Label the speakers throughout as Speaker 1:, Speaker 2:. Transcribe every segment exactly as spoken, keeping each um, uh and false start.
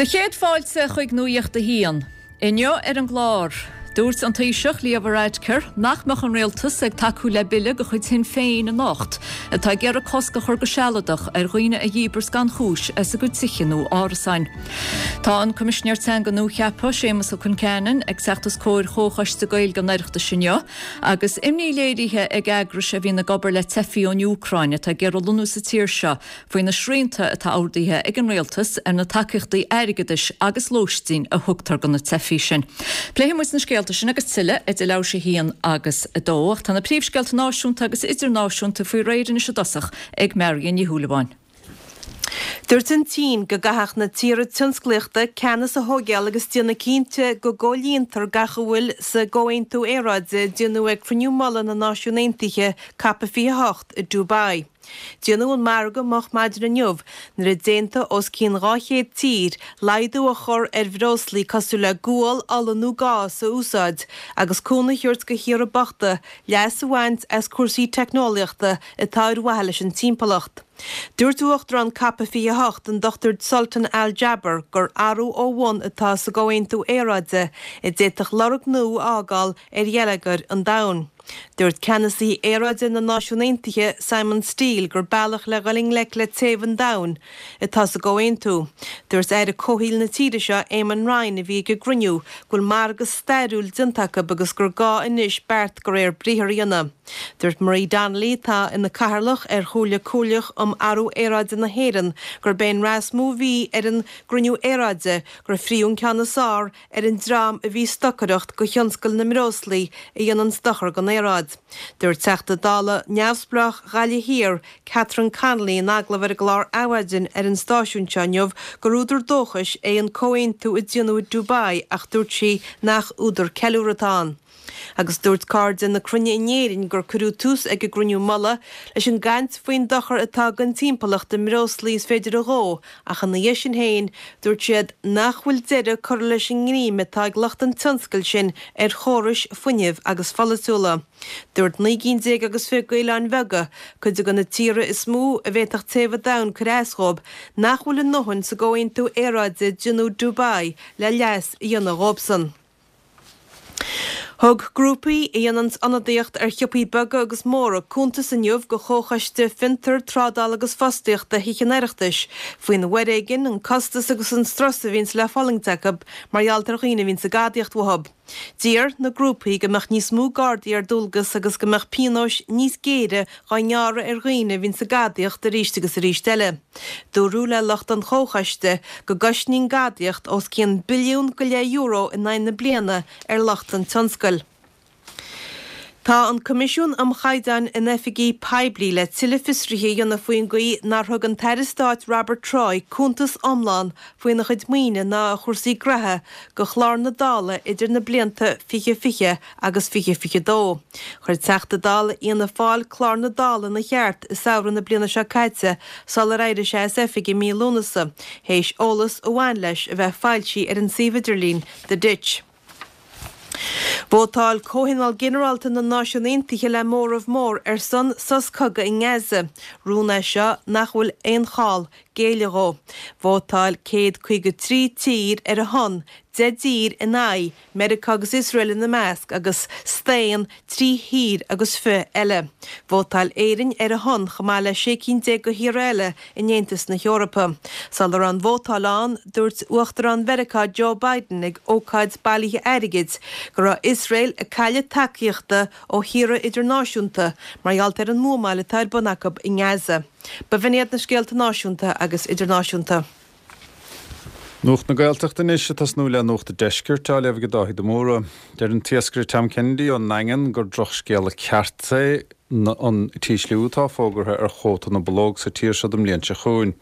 Speaker 1: Do chéad fáilte chuig Nuacht a hAon. Inniu ar an gclár. Dúirt an Taoiseach Leo Varadkar nach mbeadh an rialtas ag tacú le bille de chuid Shinn Féin anocht, atá ag iarraidh cosc a chur go sealadach ar dhaoine a dhíbirt gan chúis as a gcuid tithe nó árasáin. Tá an Coimisinéir Teanga nuacheaptha Séamus Ó Concheanainn ag teacht os comhair Chomhchoiste Gaeilge an Oireachtais inniu, agus imní léirithe ag eagrais a bhíonn ag obair le teifigh ón Úcráin atá ag iarraidh lonnú sa tír seo faoi na srianta atá ordaithe ag an rialtas ar na tacaíochtaí airgeadais agus lóistín a thugtar do na teifigh sin. Pléifidh muid na scéalta sin agus tuilleadh idir leathuair tar éis a haon agus a dó, ach tá na príomhscéalta náisiúnta agus idirnáisiúnta faoi réir anois i dtosach ag Marion Ní Shúilleabháin.
Speaker 2: Dúirt an tSín go gcaithfeadh na tíortha tionsclaíochta ceannas a thógáil agus déanamh cinnte go gcomhlíontar gach a bhfuil sa gcomhaontú aeráide a déanadh ag Cruinniú Mullaigh na Náisiún Aontaithe COP fiche a hocht i Dubai. Déanadh an margadh moch maidin inniu nuair a d'aontaigh os cionn dhá chéad tír laghdú a chur ar bhreoslaí cosúil le gual, ola nó gás a úsáid agus cúnamh a thabhairt do thíortha bochta leas a bhaint as cúrsaí teicneolaíochta atá ar mhaithe leis an timpeallacht. Dúirt Uachtarán COP fiche a hocht, an Dochtúir Sultan Al Jaber, gur athrú ó bhun atá sa gcomhaontú aeráide a d'fhéadfadh lorg nua a fhágáil ar gheilleagar an domhain. Dúirt ceannasaí aeráide na Náisiún Aontaithe, Simon Stiell, gur bealach le dhul i ngleic le téamh an domhain atá sa gcomhaontú. Dúirt Aire Comhshaoil na tíre seo, Eamon Ryan, a bhí ag an gcruinniú, go bhfuil margadh stairiúil déanta acu agus gur gá anois beart de réir briathar a dhéanamh. Dúirt Marie Donnelly, atá ina cathaoirleach ar Chomhairle Comhairleach um Athrú Aeráide na hÉireann, gurb é an rath is mó a bhí ar an gcruinniú aeráide gur frítheadh an ceann is fearr ar an dream a bhí ag stocaireacht do thionscal na mbreoslaí a dhéanann dochar don aeráid. Dúirt Teachta Dála neamhspleách Ghaillimh Thiar, Catherine Connolly in agallamh ar an gclár Adhmhaidin ar an stáisiún seo inniu gur údar dóchais é an comhaontú a déanadh i Dubai ach dúirt sí nach údar ceiliúrtha atá ann. Agus dúirt Cairde na Cruinne in Éirinn gur cuireadh tús ag an gcruinniú mullaigh leis an gcaint faoin dochar atá don timpeallacht i mbreoslaí is féidir a dhó ach ina dhiaidh sin féin dúirt siad nach bhfuil deireadh curtha leis an ngreim atá ag lucht an tionscail sin ar chórais fuinnimh agus pholaitiúla. Dúirt naoi gcinn déag agus fiche d'oileáin bheaga, cuid de na tíortha is mó a bhféadfadh téamh an domhain cur as dhóibh, nach bhfuil a ndóthain sa gcomhaontú aeráide a déanadh i Dubai le leas a dhéanamh dhóibhsan. Thug grúpaí a dhéanann ionadaíocht ar shiopaí beaga agus móra cuntas inniu do Chomhchoiste Fiontar, Trádála agus Fostaíochta Thithe an Oireachtais faoin bhforéigean, an costas agus an strus a bhíonns le fulaingt acu mar gheall ar dhaoine a bhíonns ag gadaíocht uathu. D'iarr na grúpaí go mbeadh níos mó gardaí ar dualgas agus go mbeadh pionóis níos géire dhá ngearradh ar dhaoine a bhíonns ag gadaíocht arís agus arís eile. Dúradh le lucht an chomhchoiste go gcosnaíonn gadaíocht os cionn billiún go leith euro in aghaidh na bliana ar lucht an tionscail. Tá an Coimisiún um Chaighdeáin in Oifigí Poiblí le tuilleadh fiosraithe a dhéanamh faoin gcaoi nár thug an tAire Stáit Robert Troy cuntas iomlán faoina chuid maoine ná a chúrsaí graithe do chlár na Dála idir na blianta fiche fiche agus fiche fiche dó. Chuir Teachta Dála Fhianna Fáil clár na Dála ina cheart i samhradh na bliana seo caite sular éirigh sé as oifig i mí Lúnasa, théis eolas a bhain leis a bheith foilsithe ar an suíomh idirlín The Ditch. Vótáil Comhthionól Ginearálta na Náisiún Aontaithe le móramh mór ar son sos cogaidh i nGaza, rún é seo nach bhfuil aon chall géilleadh dhó. Vótáil céad caoga trí tír ar a shon, deich dtír in aghaidh, Meiriceá agus Iosrael ina measc, agus staon trí thír agus fiche eile. Vótáil Éirinn ar a shon chomh maith le sé cinn déag de thíortha eile in Aontas na hEorpa. Sula raibh an vótáil ann, dúirt Uachtarán Mheiriceá Joe Biden ag ócáid bailithe airgid go raibh Iosrael ag cailleadh tacaíochta ó thíortha idirnáisiúnta mar gheall ar an mbuamáil atá ar bun acu i nGaza. B'in iad na scéalta náisiúnta agus idirnáisiúnta.
Speaker 3: Nuacht na Gaeltachta anois ag tosnú le Nuacht an Deiscirt á léamh ag Dáithí de Mórdha. Deir an t-iascaire Tom Kennedy ón nDaingean gur drochscéala ceart é an t-ísliú atá fógartha ar chuóta na bpológ sa tír seo don mbliain seo chugainn.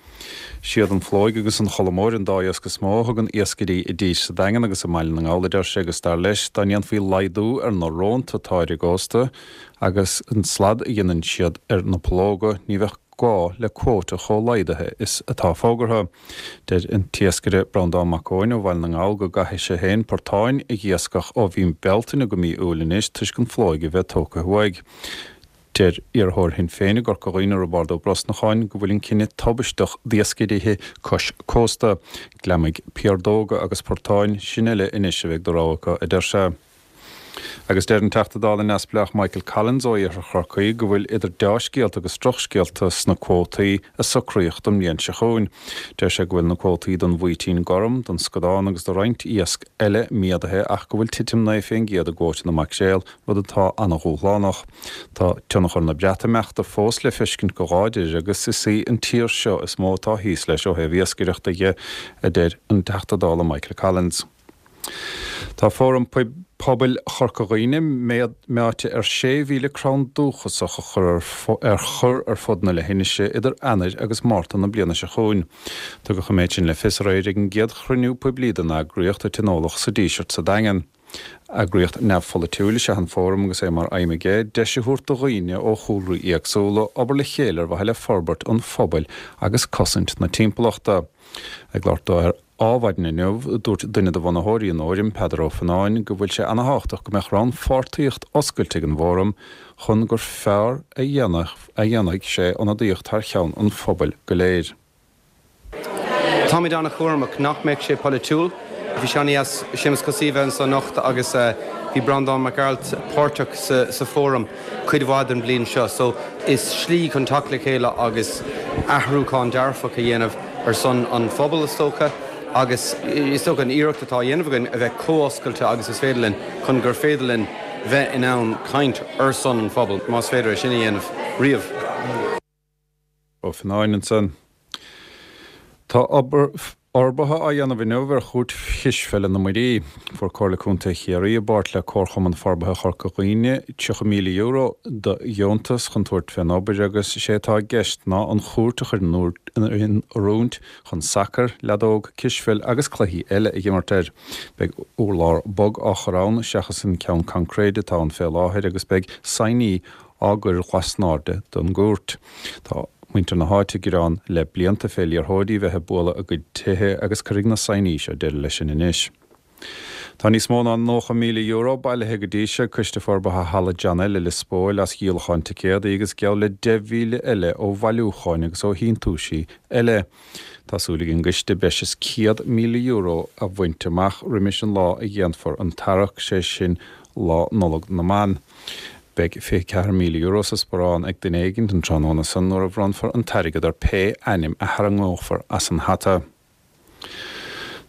Speaker 3: Siad an phlóig agus an cholmóir an dá iasc is mó a thugann iascairí i dtír sa Daingean agus i mBaile na nGall, a deir sé, agus dar leis dá ndéanfaí laghdú ar na rónta atá ar an gcósta agus an slad a dhéanann siad ar na pollóga, ní bheadh gá le cuóta chomh laghdaithe is atá fógartha. Deir an t-iascaire Breandán Mac Eoin ó Bhaile na nGall go gcaithfidh sé féin portáin a dh'iascach ó mhí Bealtaine go mí Iúil anois toisc an phlóig a bheith tógtha uaidh. Deir iarrthóir Shinn Féin i gCorca Dhuibhne, Roibeárd Ó Brosnacháin, go bhfuil an cinneadh tubaisteach d'iascairí cois cósta. Gliomaigh, piardóga agus portáin, sin uile anois a bheidh de rogha acu, a deir sé. Agus deir an Teachta Dála neamhspleách Michael Collins ó Iarthar Chorcaí go bhfuil idir dea-scéalta agus drochscéalta sna cuótaí a socraíodh don mbliain seo chugainn. Deir sé go bhfuil na cuótaí don bhaoitín gorm, don scadán agus do roinnt iasc eile méadaithe ach go bhfuil titim naoi fén gcéad i gcuóta na maicréal, rud atá an-dhúshlánach. Tá tionchar na Breatimeachta fós le feiscint go láidir agus is í an tír seo is mó atá thíos leis ó thaobh iascaireachta dhe, a deir an Teachta Dála Michael Collins. Tá Fóram Pobail Chorca Dhuibhne meáite ar sé mhíle crann dúchasach a chur ar chur ar fud na leithinise idir Eanáir agus Márta na bliana seo chugainn. Tugadh an méid sin le fios aréir ag an gcéad chruinniú poiblí den eagraíocht a tionóladh sa Díseart sa Daingean. Eagraíocht neamhpholaitiúil is ea an Fóram agus é mar aidhm aige deis a thabhairt do dhaoine ó chúlraí éagsúla obair le chéile ar mhaithe le forbairt an phobail agus cosaint na timpeallachta. Ag labhairt dó ar Adhmhaidin inniu, dúirt duine de bhunaitheoirí an Fhóraim, Peadar Ó Fionnáin, go bhfuil sé ana-thábhachtach go mbeadh rannpháirtíocht oscailte ag an bhFóram chun gur fearr a dhéanfaidh sé ionadaíocht thar cheann an phobail go léir.
Speaker 4: Táimid an-chúramach nach mbeadh sé polaitiúil. Bhí sé an-deas Séamus Cosaí a bheith anso anocht agus bhí Breandán Mac Gearailt páirteach sa Fóram cuid mhaith den bhliain seo. So is slí chun teacht le chéile agus athrúchán dearfach a dhéanamh ar son an phobail is dócha. Agus is dócha an iarracht atá á dhéanamh againn a bheith chomh oscailte agus is féidir linn chun gur féidir linn bheith in ann caint ar son an phobail, más féidir é sin a dhéanamh riamh.
Speaker 3: Ó Fionnáin ansan. Tá obair fhorbartha á dhéanamh inniu ar Chúirt Chispheile na Muirí. Fuair Comhairle Contae Chiarraí i bpáirt le Comharchumann Forbartha Chorca Dhuibhne tríocha míle euro de dheontas chun tabhairt fén obair agus is é atá i gceist ná an chúirt a chur in oiriúint chun sacar, leadóg, cispheil agus cluichí eile a dh'imirt air. Beidh urlár bog á chur ann seachas an ceann coincréide atá ann fé láthair agus beidh saighní á gcur lasnairde den gcúirt. Tá muintir na háite ag gearán le blianta fé liathróidí bheith ag bualadh a gcuid tithe agus cuirfidh na saighní seo deireadh leis sin anois. Tá níos mó ná nócha míle euro bailithe go dtí seo ag Coiste Forbartha Halla John L i Lios Póil as dhíolachán ticéadaí agus geall le deich mhíle eile ó bhailiúcháin agus ó shíntiúisí eile. Tá súil ag an gcoiste breis is céad míle euro a bhaint amach roimis an lá a dhéanfar an tarrac, sé sin Lá Nollag na mBan. Beidh fiche ceathair míle euro sa sparán ag duine éigin an tráthnóna san nuair a bhronnfar an t-airgead ar pé ainm a tharraingeofar as an hata.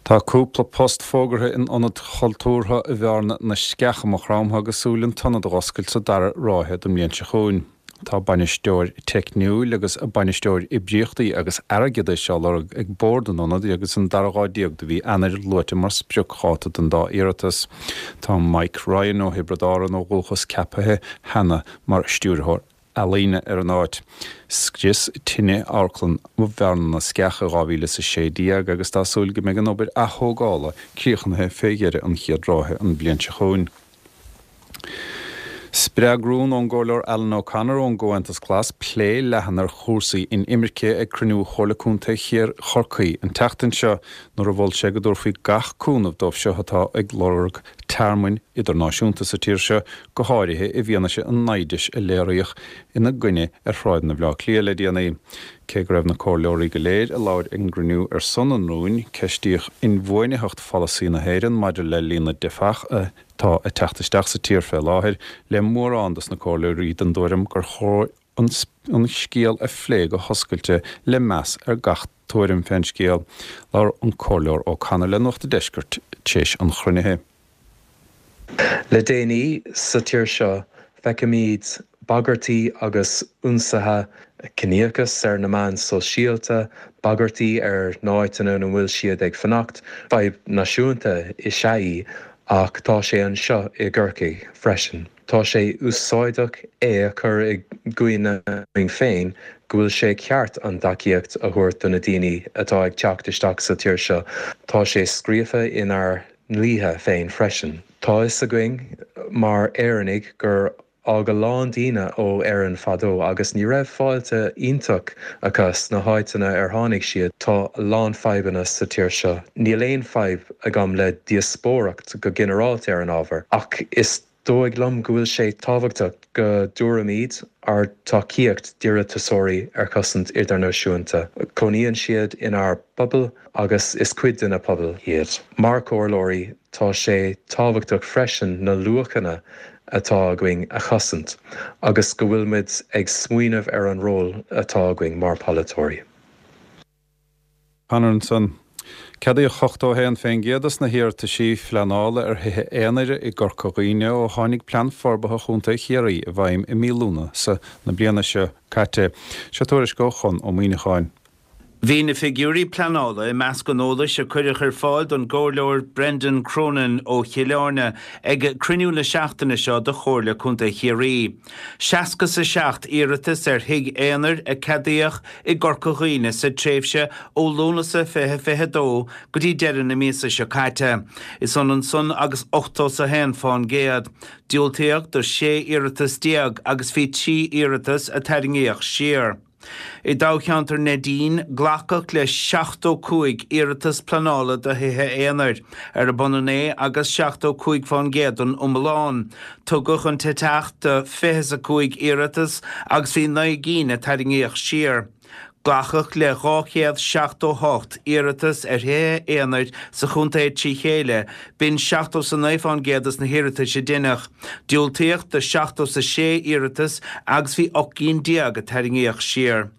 Speaker 3: Tá cúpla post fógartha in Ionad Chultúrtha Bhearna na Sceach i Maigh Chromtha agus súil an t-ionad a dh'oscailt sa dara ráithe den mbliain seo chugainn. Tá bainisteoir teicniúil agus bainisteoir oibríochtaí agus airgeadais á lorg ag bord an ionaid agus an dara lá déag de mhí Eanáir luaite mar spriocdháta don dá iarratas. Tá Mike Ryan ó Thiobraid Árann ó dhúchas ceaptha cheana mar stiúrthóir ealaíne ar an áit. Scrios tine Amharclann Bhearna na Sceach i dhá mhíle is a sé déag agus tá súil go mbeidh an obair athógála críochnaithe fé dheireadh an chéad ráithe an bhliain seo chugainn. Spreag rún ón gComhairleoir Alan O'Connor ón gComhaontas Glas plé leathan ar chúrsaí inimirce ag cruinniú Chomhairle Contae Chorcaí an tseachtain seo nuair a mhol sé go dtabharfaí gach cúnamh dóibh seo atá ag lorg tearmainn idirnáisiúnta sa tír seo, go háirithe i bhfianaise an naimhdis a léiríodh ina gcoinne ar shráideanna Bhaile Átha Cliath le déanaí. Cé go raibh na comhairleoirí go léir a labhair ag an gcruinniú ar son an rúin, ceistíodh inbhuanaitheacht pholasaí na hÉireann maidir le líon na dteifeach atá ag teacht isteach sa tír fé láthair, le mórán dos na comhairleoirí den dtuairim gur chóir an scéal a phlé go hoscailte le meas ar gach tuairim fén scéal. Labhair an Comhairleoir O'Connor le Nuacht an Deiscirt tar éis an chruinnithe.
Speaker 5: Le déanaí sa tír seo feicimid bagairtí agus ionsaithe ciníochas ar na meáin sóisialta, bagairtí ar na háiteanna ina bhfuil siad ag fanacht, fadhb náisiúnta is ea í ach tá sé anseo i gCorcaigh freisin. Tá sé úsáideach é a chur i gcuimhne dúinn féin go bhfuil sé ceart an tacaíocht a thabhairt do na daoine atá ag teacht isteach sa tír seo. Tá sé scríofa inár ndlíthe féin freisin. Tá a fhios againn mar Éireannaigh gur fhág a lán daoine ó Éirinn fadó agus ní raibh fáilte iontach acu sna háiteanna ar tháinig siad. Tá a lán fadhbanna sa tír seo. Níl aon fadhb agam le díospóireacht go ginearálta ar an ábhar, ach is dóigh liom go bhfuil sé tábhachtach go dtabharfaimid ár dtacaíocht d'iarratasóirí ar chosaint idirnáisiúnta. Cónaíonn siad inár bpobal agus is cuid den phobal iad. Mar chomhairleoirí tá sé tábhachtach freisin na luachanna atá againn a chosaint, agus go bhfuil muid ag smaoineamh ar an ról atá againn mar pholaiteoirí.
Speaker 3: Conor ansan. Ceadaíodh ochtó a haon faoin gcéad dos na hiarrataisí phleanála ar thithe aonair i gCorca Dhuibhne ó tháinig Plean Forbartha Chontae Chiarraí i bhfeidhm i mí Lúnasa na bliana seo caite. Seo tuairisc ó Chon Ó Muíneacháin.
Speaker 6: Bhí na figiúirí pleanála i measc an eolais a cuireadh ar fáil don gComhairleoir Brendan Cronin ó Chill Airne ag cruinniú na seachtaine seo de Chomhairle Contae Chiarraí. Seasca is a seacht iarratas ar thigh aonair a ceadaíodh i gCorca Dhuibhne sa tréimhse ó Lúnasa fiche fiche dó go dtí deireadh na míosa seo caite. Is ionann san agus ochtó is a haon fán gcéad. Diúltaíodh do sé iarratas déag agus bhí trí iarratas a tarraingíodh siar. I dtoghcheantar Neidín, glacadh le seachtó cúig iarratas pleanála do thithe aonair, arb ionann é agus seachtó cúig fán gcéad den iomlán. Tugadh an t-teach do fiche is a cúig iarratas agus bhí naoi gcinn a tarraingíodh siar. Glacadh le dhá chéad seachtó hocht iarratas ar thithe aonair sa chontae trí chéile, b'in seachtó is a naoi fán gcéad dos na hiarratais a deineadh. Diúltaíodh do seachtó is a sé iarratas agus bhí ocht gcinn déag a tarraingíodh siar.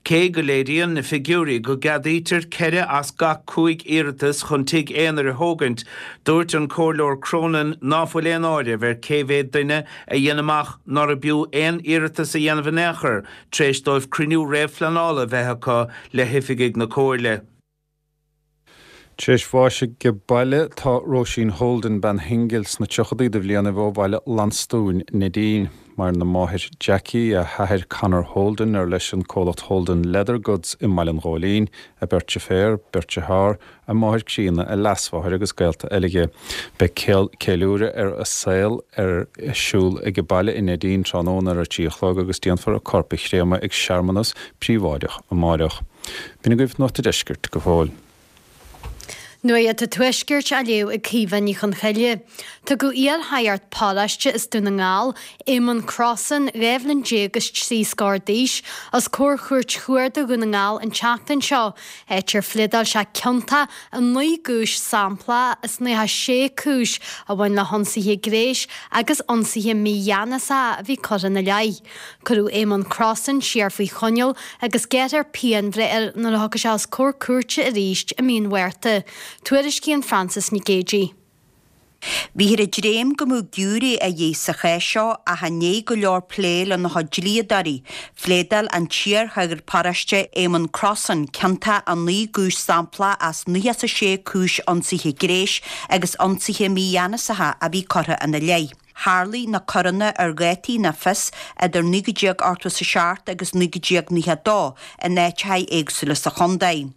Speaker 6: Cé go léiríonn na figiúirí go gceadaítear ceithre as gach cúig iarratas chun tigh aonair a thógaint, dúirt an Comhairleoir Cronin ná fuil aon áireamh ar cé mhéad duine a dhein amach nárbh fhiú aon iarratas a dhéanamh in aon chor tar éis dóibh cruinniú réamhphleanála a bheith acu le hoifigigh na Comhairle.
Speaker 3: Tar éis bháis age baile tá Róisín Holden bean shingil sna tríochaidí de bhlianaibh ó Bhaile Lansdúin, Neidín. Maireann a máthair Jackie, a hathair Conor Holden ar leis an comhlacht Holden Leather Goods i mBaile an Ghóilín, a beirt deirféar, beirt dearthár, a máthair críonna, a leasmháthair agus gaolta eile. Beidh ceiliúradh ar a saol ar siúl age baile i Neidín tráthnóna ar a trí a chlog agus déanfar a corp a chréamadh ag searmanas príobháideach amáireach. B'in agaibh Nuacht an Deiscirt go fóill.
Speaker 7: Nuacht an Tuaiscirt á léamh ag Caoimhe Ní Chonchoille. Tugadh iar-shagart paróiste as Dún na nGall, Éamonn Crossan, dhá bhliain déag is trí scór d'aois, os comhair Chúirt Chuarda Dhún na nGall an tseachtain seo, áit ar phléadáil sé ciontach i naoi gcúis sampla as nócha sé cúis a bhain le hionsaithe gnéis agus ionsaithe mígheanasacha a bhí curtha ina leith. Cuireadh Éamonn Crossan siar faoi choinneáil agus gearrfar pianbhreith air nuair a thiocfaidh sé os comhair cúirte arís i mí an Mhárta. Tuairiscíonn Frances Nic Géadaigh.
Speaker 8: Bhíothar ag dréim go mbeadh giúiré a dhíth sa chás seo ach i ndiaidh go leor plé lena chuid dlíodóirí, phléadáil an t-iar-shagart paróiste Éamonn Crossan ciontach i naoi gcúis sampla as nócha is a sé cúis ionsaithe gnéis agus ionsaithe mígheanasacha a bhí curtha ina leith. Tharlaigh na coireanna ar dhátaí nach fios idir naoi déag ochtó is a seacht agus naoi déag nócha a dó in áiteacha éagsúla sa chontae.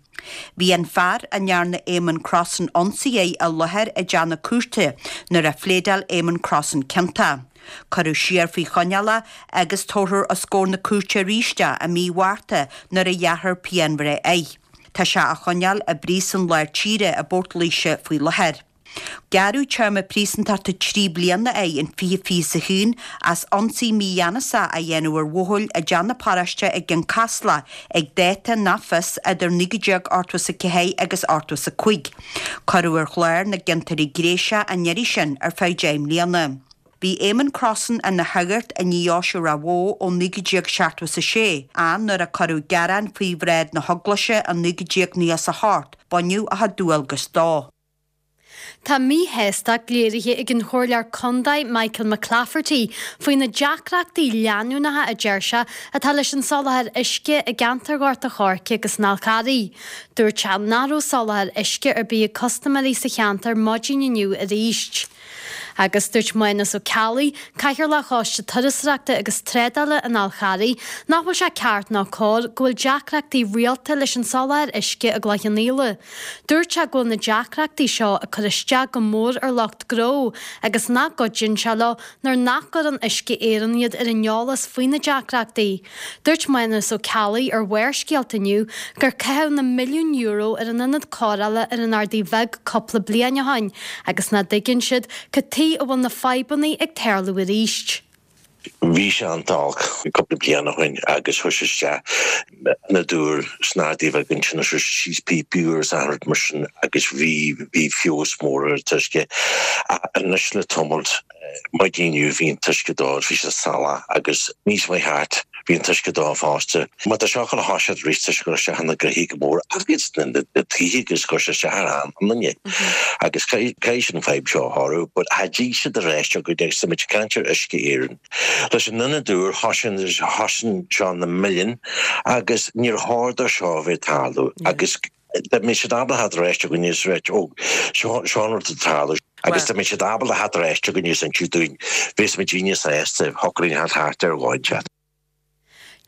Speaker 8: Bhí an fear a ndearna Éamonn Crossan ionsaí air i láthair i dteach na cúirte nuair a phléadáil Éamonn Crossan ciontach. Cuireadh siar faoi choinneáil é agus tabharfar os comhair na cúirte arís é i mí Mhárta nuair a ghearrfar pianbhreith air. Tá sé á choinneáil i bpríosún lár tíre i bPort Laoise faoi láthair. Gearradh téarma príosúntachta trí bliana air in fiche fiche is a haon as ionsaí mígheanasach a dhéanamh ar bhuachaill i dteach na paróiste i gCionn Caslach ag dáta nach fios idir naoi déag ochtó is a ceathair agus ochtó is a cúig. Cuireadh ar chlár na gciontóirí gnéis an iarraidh sin ar feadh deich mbliana. Bhí Éamonn Crossan ina shagart i ndeoise Ráth Bhoth ó naoi déag seachtó is a sé, ach nuair a cuireadh gearán faoi bhráid na heaglaise i naoi déag nócha is a hocht, baineadh a chuid dualgas dó.
Speaker 7: Tá míshástacht léirithe ag an Chomhairleoir Contae Michael McClafferty faoi na deacrachtaí leanúnacha a deir sé atá leis an soláthar uisce i gceantar Ghort an Choirce agus an Fhál Carraigh. Dúirt sé nach raibh soláthar uisce ar bith ag custaiméirí sa cheantar maidin inniu arís. Agus dúirt Mánas Ó Ceallaigh, Cathaoirleach Choiste Turasóireachta agus Trádála an Fháil Charraigh, nach bhfuil sé ceart ná cóir go bhfuil deacrachtaí rialta leis an soláthar uisce i gCloich Cheann Fhaola. Dúirt sé go bhfuil na deacrachtaí seo ag cur isteach go mór ar lucht gnó agus nach gcuidíonn sé leo nuair nach gcuireann Uisce Éireann iad ar an eolas faoi na deacrachtaí. Dúirt Mánas Ó Ceallaigh ar Bharrscéalta inniu gur caitheadh na milliúin euro ar an ionad cóireála ar an Ardaidh Bheag cúpla bliain ó shin agus nach dtuigeann siad cad tuige chaoi a bhfuil na fadhbanna ag tarlú arís.
Speaker 9: Bhí sé an-olc cúpla bliain ó shin agus chuir sé isteach ionad úr sna hArdaí Bheaga ansin chuir sé síos píopaí úr is achan rud mar sin agus bhí bhí feabhas mór ar an t-uisce. Anois le tamall maidin inniu bhí an t-uisce dall, bhí sé salach agus níos mé thart bhí an t-uisce dall fosta. Má tá seo chun thoiseacht arís tá sé ag cur isteach ar na gnoithí go mór agus na tithe agus cur isteach ar an ndaoine. Agus caithfidh siad an fadhb seo a shárú, but cha dtig siad a rá go dtig muid caint ar Uisce Éireann. Leis an ionad úr thosaigh seo na milliúin agus níor chóir dó seo a bheith ag tarlú agus dá mbeadh siad ábalta theacht ar ais chugainn is rá ó seo seo an rud atá ag tarlú agus dá mbeadh siad ábalta theacht ar ais chugainn is inse dúinn bheadh muid níos sásta shocraíonn theacht thart ar dhóid.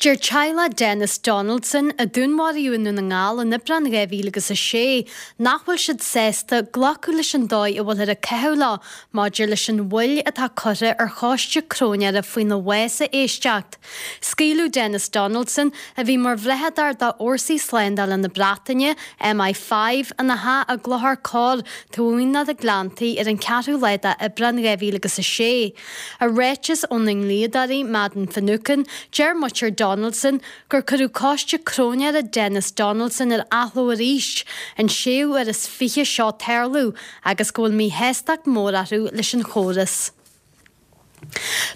Speaker 7: Deir teaghlach Denis Donaldson, a dúnmharaíodh i nDún na nGall in Aibreán dhá mhíle agus a sé, nach bhfuil siad sásta glacadh leis an dóigh a bhfuilthear ag caitheamh leo maidir leis an mhoill atá curtha ar choiste cróinéara faoina bhás a éisteacht. Scaoileadh Denis Donaldson, a bhí mar bhrathadóir d'fhórsaí slándála na Breataine, M I five, ina theach i gClochar Corr, taobh amuigh de na Gleanntaí ar an ceathrú lá d'Aibreán dhá mhíle agus a sé. I ráiteas óna ndlíodóirí, Madden Finucane, deir muintir Donaldson gur cuireadh coiste cróinéara Denis Donaldson ar athló arís, an séú huair is fiche seo tarlú, agus go bhfuil míshástacht mór orthu leis an chóras.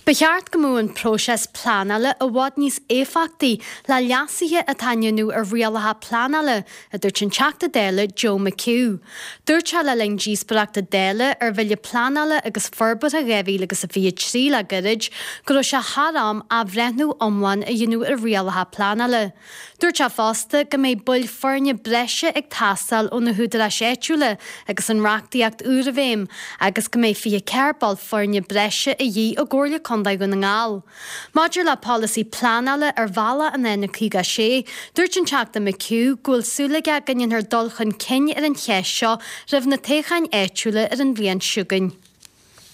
Speaker 7: Ba cheart go mbeadh an próiseas pleanála i bhfad níos éifeachtaí le leasuithe atá á ndéanamh ar rialacha pleanála, a dúirt an Teachta Dála Joe McHugh. Dúirt sé le linn díospóireachta Dála ar Bhille Pleanála agus Forbartha dhá mhíle agus a fiche trí le gairid go raibh sé thar am athbhreithniú iomlán a dhéanamh ar rialacha pleanála. Dúirt sé fosta go mbeidh baill foirne breise ag teastáil ó na húdaráis áitiúla agus an reachtaíocht úr i bhfeidhm agus go mbeidh fiche ceathair ball foirne breise a dhíth i gComhairle Contae Dhún na nGall. Maidir le polasaí pleanála ar bhealach an N caoga a sé, dúirt an Teachta McHugh go bhfuil súil aige go ndéanfar dul chun cinn ar an cheist seo roimh na toghcháin áitiúla ar an bhliain seo chugainn.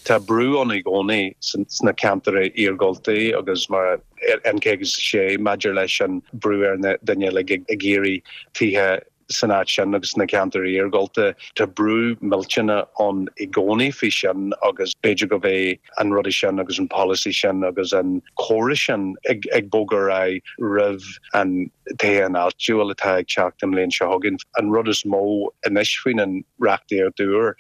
Speaker 10: Tá brú ann i gcónaí sna ceantair iargúlta agus mar N caoga a sé maidir leis an brú ar na daoine uilig ag iarraidh tithe san áit sin agus sna ceantair iargúlta. Tá brú millteanach ann i gcónaí faoi sin agus b'fhéidir go mbeidh an rudaí sin agus an polasaí sin agus an córas sin ag ag bogadh ar aghaidh roimh an toghchán áitiúil atá ag teacht an bhliain seo chugainn. An rud is mó anois faoin an reachtaíocht úr,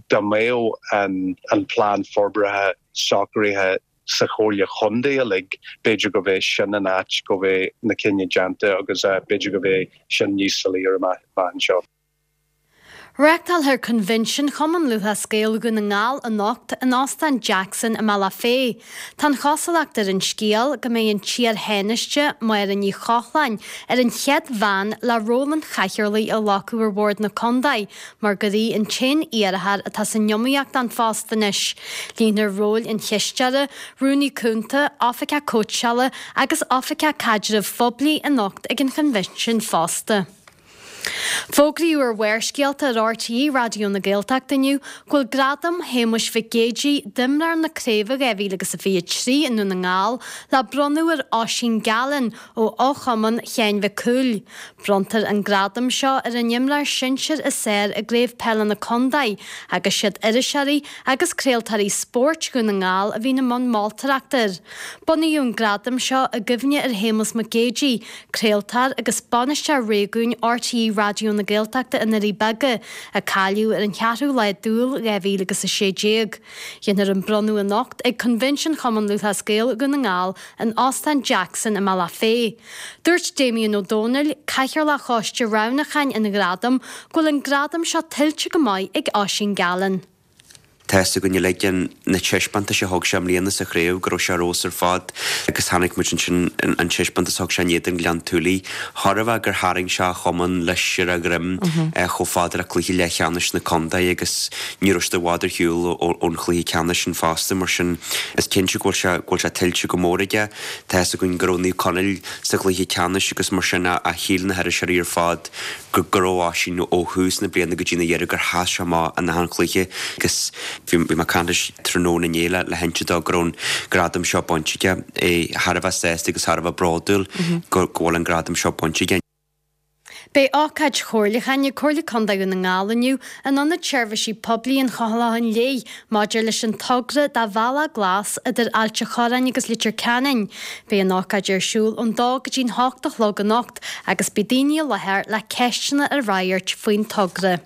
Speaker 10: dá mbeadh an an plean forbartha socraithe sa Chomhairle Chontae uilig, b'fhéidir go mbeidh sin an áit go mbeidh na cinntí déanta agus b'fhéidir go mbeidh sin níos soiléire amach anseo.
Speaker 7: Reáchtálfar Coinbhinsiún Chumann Lúthchleas Gael Dhún na nGall anocht in Óstán Jackson i mBealach Féich. Tá an chosúlacht ar an scéal go mbeidh an t-iar-Thánaiste, Máire Ní Chochláin, ar an chéad bhean le ról an chathaoirligh a ghlacadh ar bhord na contae mar gur í an t-aon iarrthóir atá san iomaíocht don phost anois. Líonfar róil an chisteora, rúnaí cúnta, oifigeach cóitseála agus oifigeach caidrimh phoiblí anocht ag an choinbhinsiún fosta. Fógraíodh ar Bharrscéalta ar R T É Raidió na Gaeltachta inniu go bhfuil Gradam Shéamuis Mhic Géidigh d'imreoir na Craoibhe dhá mhíle agus a fiche trí i nDún na nGall le bronnadh ar Oisín Gallen ó fhochumann Sheáin Mhic Cumhaill. Bronntar an gradam seo ar an imreoir sinsir is fearr i gCraobh Peile na Contae agus siad iriseoirí agus craoltóirí spóirt Dhún na nGall a bhíonn i mbun moltóireachta air. Bunaíodh an gradam seo i gcuimhne ar Shéamus Mac Géidigh, craoltóir agus bainisteoir réigiúin R T É Raidió na Gaeltachta i nDoirí Beaga, a cailleadh ar an cheathrú lá d'Iúil dhá mhíle agus a sé déag. Déanfar an bronnadh anocht ag Coinbhinsiún Chumann Lúthchleas Gael Dhún na nGall in Óstán Jackson i mBealach Féich. Dúirt Damien Ó Dónaill, Cathaoirleach Choiste Roghnúcháin an Ghradaim, go bhfuil an gradam seo tuillte go maith ag Oisín Gallen.
Speaker 11: Tá fhios againn uilig na taispeántais a thug sé i mbliana sa chraobh go raibh sé ar fheabhas ar fad agus chonaic muid ansin an taispeántas a thug sé in éadan Ghleann tSúilí. Chóir a bheith gur tharraing sé a chumann leis ar a dhroim chomh fada le cluiche leathcheannais na contae agus ní raibh siad i bhfad ar shiúl ón chluiche ceannais sin fosta mar sin is cinnte go bhfuil sé go bhfuil sé tuillte go mór aige. Tá fhios againn go raibh Naomh Conaill sa chluiche ceannais agus mar sin a shíl na hiriseoirí ar fad go go raibh Oisín ó thús na bliana go dtí an deireadh gur sheas sé amach in achan chluiche agus bhí mé ag caint leis tráthnóna inné le le hinse dó go raibh an gradam seo bainte aige, é thar a bheith sásta agus thar a bheith bródúil go go bhfuil an gradam seo bainte aige.
Speaker 7: Beidh ócáid chomhairliúcháin ag Comhairle Contae Dhún na nGall inniu in Ionad Seirbhísí Poiblí an Chlocháin Léith maidir leis an togra do Bhealach Glas idir Ailt an Chorráin agus Leitir Ceanainn. Beidh an ócáid ar siúl ón dó go dtí'n hocht a chlog anocht agus beidh daoine i láthair le ceisteanna a fhreagairt faoin togra.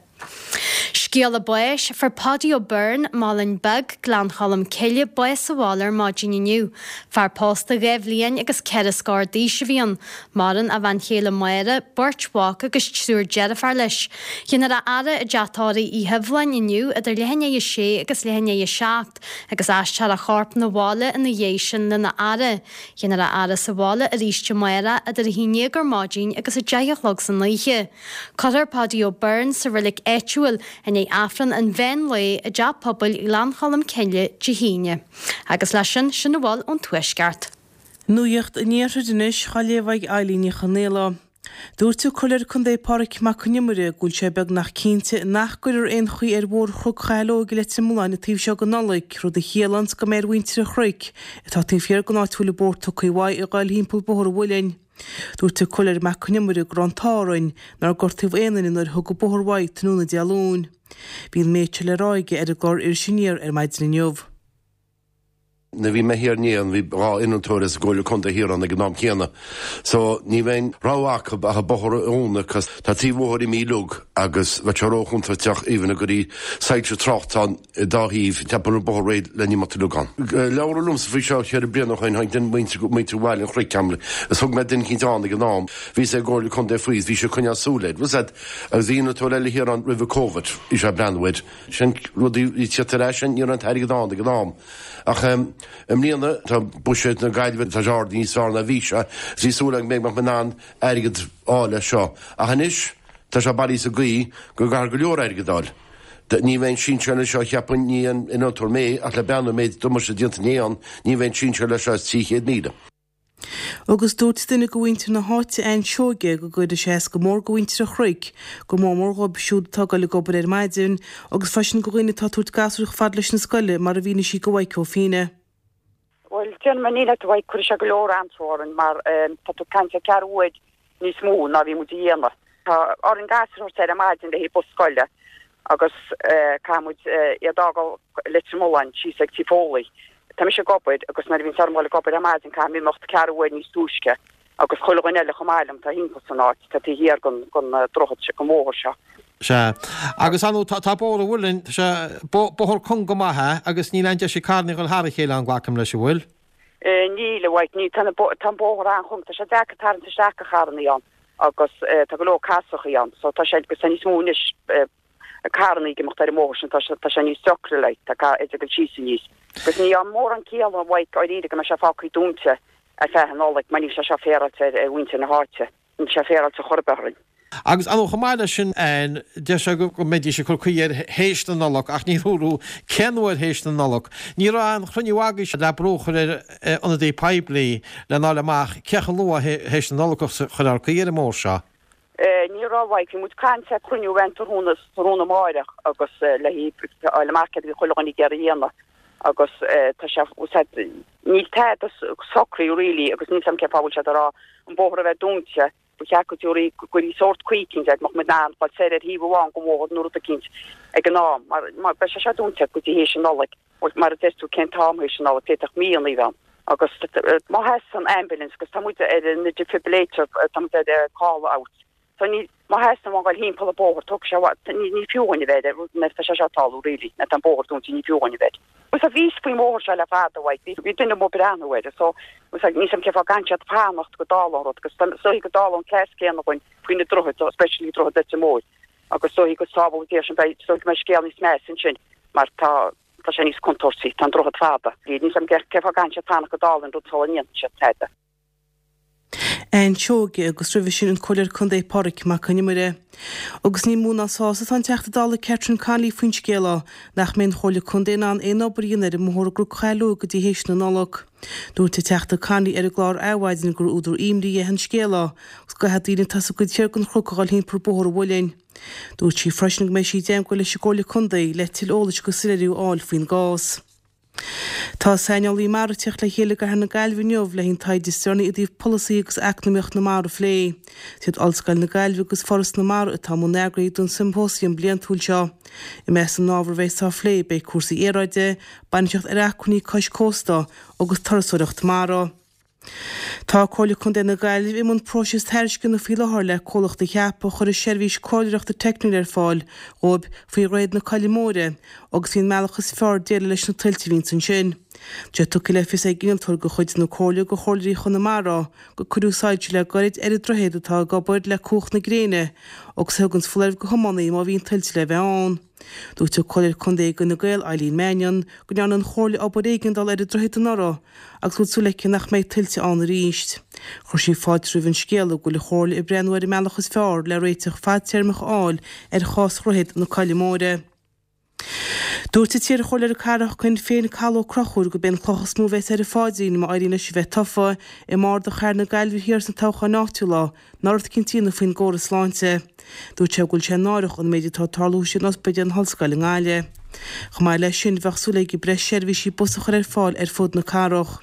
Speaker 7: Scéala báis, Fuair Paudie O'Byrne, Malainn Beag, Gleann Cholm Cille, bás sa bhaile ar maidin inniu. Fear pósta dhá bhliain agus ceithre scór d'aois a bhí ann. Maireann a bhean chéile Máire, beirt mhac agus triúr deirféar leis. Déanfar a fhaire i dteach tórraimh Uí Hiubhláin inniu idir leath i ndiaidh a sé agus leath i ndiaidh a seacht agus aistreofar a chorp 'na bhaile ina dhiaidh sin lena fhaire. Déanfar a fhaire sa bhaile arís amárach idir a haon déag ar maidin agus a deich a chlog san oíche. Cuirfear Paudie O'Byrne sa reilig áitiúil i ndiaidh Aifreann an mheán lae i dTeach Pobail Ghleann Cholm Cille Dé hAoine. Agus leis sin, sin a bhfuil ón Tuaisceart.
Speaker 12: Nuacht an Iarthair anois, á léamh ag Eilín Ní Chonaola. Dúirt an Comhairleoir Contae Pádraig Mac Con Iomaire go bhfuil sé beagnach cinnte nach gcuirfear aon chaoi ar Bhóthar Chnoc Chathail Óig i Leitir Mealláin an taobh seo den Nollaig, rud a chiallaíonns go mbeidh ar mhuintir an Chnoic, atá taobh thiar den áit a bhfuil an bóthar tugtha uaidh, a ghoil thimpeall Bóthar an Mhuilinn. Dúirt an Comhairleoir Mac Con Iomaire go raibh an t-ádh orainn nár gortaíodh aon duine nuair a tugadh an bóthar uaidh tráthnóna Dé Luain. Bhí an méid seo le rá aige ar an gclár Iris Aniar ar maidin inniu.
Speaker 13: Nuair a bhí mé thiar inné bhí dhá innealtóir as an gComhairle Contae thiar ann ag an am céanna. So ní bheidh aon rogha acu ach an bóthar a dhúnadh cos tá trí bhóthar imithe uilig agus bheadh sé ró-chontúirteach even a gcuirí soilse tráchta ann i dá thaobh ceapaim an bóthar réidh le n-imeacht uilig ann. Labhradh liomsa faoi seo ceithre bliana ó shin tháinig duine muintir muintir Bhaile an Chnoic agam is thug mé duine eicínt ann ag an am bhí sé ag gComhairle Contae faoi is bhí sé ag coinneáil súil air. Was that agus bhí innealtóir eile thiar ann roimh an Covid bhí sé ag breathnú air. Sin rudaí bhí tíocht ar ais sin ní raibh an t-airgead ann ag an am. Ach i mbliana tá buiséad na Gaillimhe tá sé ard níos fearr ná bhí sé. Is bhí súil agam go mbeadh mé in ann airgead a fháil leis seo. Ach anois tá sé bailithe sa gcaoi go gcaithfear go leor airgead a fháil. Ní bheidh an sinsear leis seo cheapfainn, ní aon innealtóir mé ach le breathnú an méid damáiste déanta inné ann, ní bheidh an sinsear leis seo as trí chéad míle.
Speaker 12: Agus dúirt duine de mhuintir na háite, Ann Seoige, go gcuirfidh sé as go mór do mhuintir an Chnoic, go mór mór dhóibh siúd atá ag dul ag obair ar maidin, agus freisin do dhaoine atá ag tabhairt gasúir chomh fada leis na scoile, mar a mhínigh sí do Mhaidhc Ó Fianna.
Speaker 14: Bhuel, déarfainn níl a Mhaidhc, cuirfidh sé go leor anró orainn mar tá tú ag caint ar ceathrú uair níos mó ná bhí muid a dhéanamh. Tá orainn gasúir a thabhairt ar maidin le haghaidh bus scoile agus caithfidh muid iad a fhágáil Leitir Mealláin síos ag Tí Foley. Tá mise ag obair agus nuair a bhíonns orm dhul ag obair ar maidin caithfidh mé imeacht ceathrú uair níos túisce agus chuile dhuine eile chomh maith liom atá thimpeall san áit, atá taobh thiar den droichead seo, den bhóthar seo.
Speaker 15: Sea. Agus ar ndóigh tá Bóthar an Mhuilinn, tá sé, bóthar cúng go maith é agus níl aon deis ag carranna dhul thar a chéile ann, glacaim leis, an bhfuil?
Speaker 14: Níl, a Mhaidhc, níl. Tá an bóthar an-chúng, tá sé deacair tarraingt isteach do charrannaí ann agus tá go leor casachaí ann so tá sé, agus tá níos mó anois carrannaí ag imeacht ar an mbóthar sin, tá sé, tá sé níos deacra like, tá ca, iad ag dul síos aníos. Agus níl mórán ciall a Mhaidhc dáiríre go mbeidh sé fágtha dúnta ar feadh an Nollaig mar níl sé seo féaráilte ar, ar mhuintir na háite. Níl sé féaráilte chor ar bith orainn.
Speaker 15: Agus ar ndóigh chomh maith leis sin, Ann, deir sé go mbeidís ag cur caoi air théis na Nollag ach níor dúradh cén uair théis na Nollag. Ní raibh aon chruinniú agaibhse le brú a chur ar ionadaí poiblí lena fháil amach cé chomh luath théis na Nollag a chuirfear caoi ar an mbóthar seo.
Speaker 14: Ní raibh, a Mhaidhc. Bhí muid ag caint ar chruinniú ann tráthnóna tráthnóna amáireach agus le fáil amach céard a bhí chuile dhuine ag iarraidh a dhéanamh agus tá sé, níl tada socraithe really agus níl 's a'm cén fáth a bhfuil siad ag rá an bóthar a bheith dúnta, ba cheart go dtabharfaí, go gcuirfí sórt caoi eicínt air, go mbeadh muid in ann dul soir ar thaobh amháin den bhóthar nó rud eicínt ag an am mar mar beidh sé seo dúnta go dtí théis an Nollaig. Bhuel, mar a deir tú, cén t-am théis an Nollaig, d'fhéadfadh míonna a bheith ann. Agus má theastaíonn ambulance, agus tá muid ar an defibrillator, tá muid ar call out. So ní, má theastaíonn uainn dul thimpeall an bóthar, tógfaidh sé i bhfad, ní, ní fiú dhúinn a bheith air, nuair atá sé seo ag tarlú really, nuair atá an bóthar dúnta, ní fiú dhúinn a bheith air. Bhuel, bhí fhios faoin bhóthar seo le fada, a Mhaidhc, bhí, bhí duine amuigh ag breathnú air, so, bhuel, níl 's a'm cén fáth go gcaithfidh siad fanacht go dtarlódh an rud, agus is dóichí go dtarlódh an cleas céanna dhúinn faoi na droichid, especially droichead Leitir Móir. Agus is dóichí go sábhálfaidh Dia sinn, beidh, is dóichí go mbeidh scéal níos measa ansin mar tá, tá sé níos contúirtí, tá an droichead fada. Níl 's a'm cén fáth go gcaithfidh siad fanacht go dtarlaíonn rud sula ndéanann siad tada.
Speaker 12: Ann Seoige agus roimhe sin an Comhairleoir Contae Pádraig Mac Con Iomaire. Agus ní mó ná sásta atá an Teachta Dála Catherine Connolly faoin scéala nach mbeidh an Chomhairle Contae in ann aon obair a dhéanamh ar an mbóthar i gCnoc Chathail Óig go dtí théis na Nollag. Dúirt an Teachta Connolly ar an gclár Adhmhaidin gur údar imní é an scéala agus go gcaithfidh daoine atá sa gcuid thiar den chnoc a dhul thimpeall Bóthar an Mhuilinn. Dúirt sí freisin go mbeidh sí i dteagmháil leis an gComhairle Contae le tuilleadh eolais agus soiléiriú a fháil faoin gcás. Tá saineolaí mara ag teacht le chéile i gcathair na Gaillimhe inniu le an taighde is deireanaí i dtaobh polasaí agus eacnamaíocht na mara a phlé. Is iad Ollscoil na Gaillimhe agus Foras na Mara atá i mbun eagraithe don siompósiam bliantúil seo. I measc na n-ábhar a bheas á phlé beidh cúrsaí aeráide, bainistíocht ar acmhainní cois cósta agus turasóireacht mara. Tá Comhairle Contae na Gaillimhe i mbun próiseas tairisceana faoi láthair le comhlacht a cheapadh a chuirfidh seirbhís comhairleoireachta teicniúil ar fáil dhóibh faoi Dhroichead na Coille Móire agus faoin mbealach is fearr déileáil leis na tuilte a bhíonns ansin. Tá sé tugtha le fios ag innealtóir de chuid na Comhairle do chomhairleoirí Chonamara gur cuireadh soilse le gairid ar an droichead atá ag obair le cumhacht na gréine agus a thuganns foláireamh do thiománaí má bhíonn tuilte le bheith ann. Dúirt an Comhairleoir Contae d'Fhine Gael, Eileen Mannion, go ndearna an Chomhairle obair éigeandála ar an droichead anuraidh agus go bhfuil súil aici nach mbeidh tuilte ann arís. Chuir sí fáilte roimh an scéala go bhfuil an Chomhairle ag breathnú ar an mbealach is fearr le réiteach fadtéarmach a fháil ar chás Dhroichead na Coille Móire. Dúirt an t-iarchomhairleoir cathrach Shinn Féin Cathal Ó Conchúir gurb é an chloch is mó a bheas ar a phaidrín má éiríonn leis a bheith tofa i mbarda chathair na Gaillimhe Thiar sna toghcháin áitiúla ná rud eicínt a dhéanamh faoin gcóras sláinte. Dúirt sé go bhfuil sé náireach an méid atá ag tarlú san ospidéal na hOllscoile i nGaillimh. Chomh maith leis sin bheadh súil aige breis seirbhísí bus a chur ar fáil ar fud na cathrach.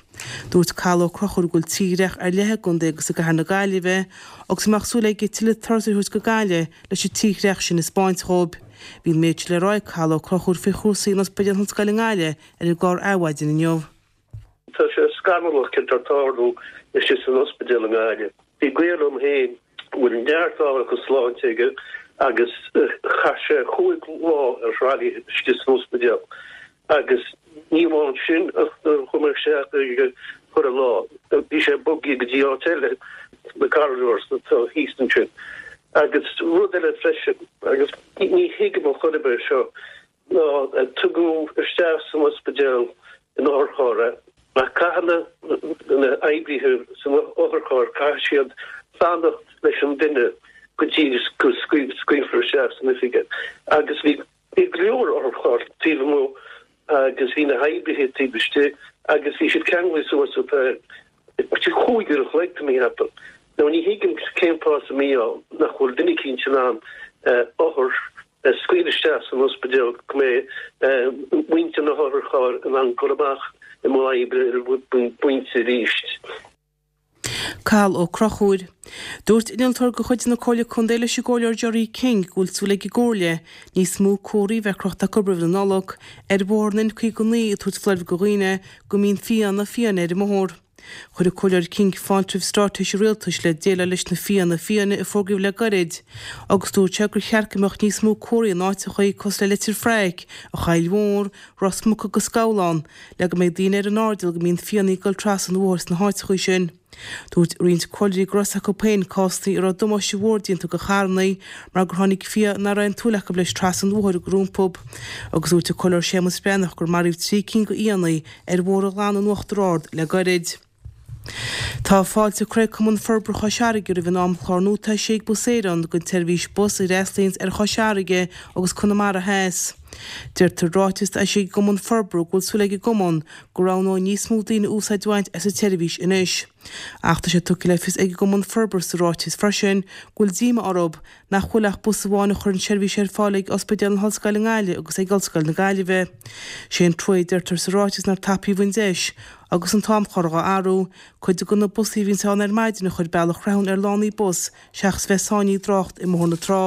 Speaker 12: Dúirt Cathal Ó Conchúir go bhfuil tírdhreach ar leith i gcontae agus i gcathair na Gaillimhe agus go mbeadh súil aige tuilleadh turasóirí a thabhairt go Gaillimh leis an tírdhreach sin a 'spáint dhóibh. Bhí an méid seo le rá ag Cathal Ó Conchúir faoi chúrsaí in Ospidéal na hOllscoile i nGaillimh ar an gclár Adhmhaidin inniu.
Speaker 16: Tá sé scannalach céard atá ag tarlú istigh san ospidéal i nGaillimh. Bhí gaol liom féin a bhfuil neart ábharachas sláinte aige agus chaith sé chúig lá ar trolley istigh san ospidéal agus ní amháin sin ach nuair a chuaigh mé isteach ag chuile lá bhí sé bogtha go dtí áit eile, na corridors atá thíos ansin. Agus rud eile freisin, agus ní thuigim ar chor ar bith é seo, ná tugadh isteach san ospidéal in otharcharr é, ach caithfidh na hoibrithe san otharcharr, caithfidh siad fanacht leis an duine go dtí go scaoilfear isteach san oifig é. Agus bhí go leor otharcharr taobh amuigh agus bhí na hoibrithe taobh istigh agus bhí siad ceanglaithe suas ar feadh cúig uair an chloig, tá mé a cheapadh. Now ní thuigim cén fáth sa mí-ádh nach bhfuil duine eicínt in ann othar a scaoileadh isteach san ospidéal go mbeidh muintir na hotharchairr in ann dul amach i mbun oibre ar an bpointe arís.
Speaker 12: Cathal Ó Conchúir. Dúirt innealtóir de chuid na Comhairle Contae leis an gComhairleoir Gerry King go bhfuil súil ag an gComhairle níos mó comharthaí a bheith crochta acu roimh na Nollag ar bhóthar an N caoga naoi ag tabhairt foláireamh do dhaoine go mbíonn fianna fiáine ar an mbóthar. Chuir an Comhairleoir King fáilte roimh straitéis an Rialtais le déileáil leis na fianna fiáine a fógraíodh le gairid agus dúirt sé gur cheart go mbeadh níos mó comharthaí in áiteacha cosúil le Leitir Fraic, an Choill Mhór, Ros Muc agus Gabhlán le go mbeidh daoine ar an airdeall go mbíonn fianna ag dul trasna an bhóthair sna háiteacha sin. Dúirt roinnt comhairleoirí go raibh a fhios acu féin cásanna a raibh damáiste mhór déanta do charranna mar gur tháinig fia nach raibh aon tsúil acu leis trasna an bhóthair rompu. Agus dúirt an Comhairleoir Séamus Breathnach gur maraíodh trí cinn de fhianna ar Bhóthar an Ghleanna in Uachtar Ard le gairid. Tá fáilte curtha ag Cumann Forbartha Chois Fharraige roimh an amchlár nua atá eisithe ag Bus Éireann don tseirbhís bus a fhreastlaíonns ar Chois Fharraige agus Conamara Theas. Deirtear i ráiteas atá eisithe ag an gCumann Forbartha go bhfuil súil ag an gCumann go roghnóidh níos mó daoine úsáid a bhaint as an tseirbhís anois. Ach tá sé tugtha le fios ag an gCumann Forbartha sa ráiteas freisin go bhfuil díoma orthu nach bhfuil ach bus amháin a chuireann seirbhís ar fáil ag Ospidéal na hOllscoile i nGaillimh agus ag Ollscoil na Gaillimhe. Sé an trua a deirtear sa ráiteas nár tapaíodh an deis agus an t-amchlár dhá athrú, cuid de na busaí a bhíonns ann ar maidin a chur bealach Rathún ar lánaí bus seachas bheith sáinnithe i dtrácht i mBóthar na Trá.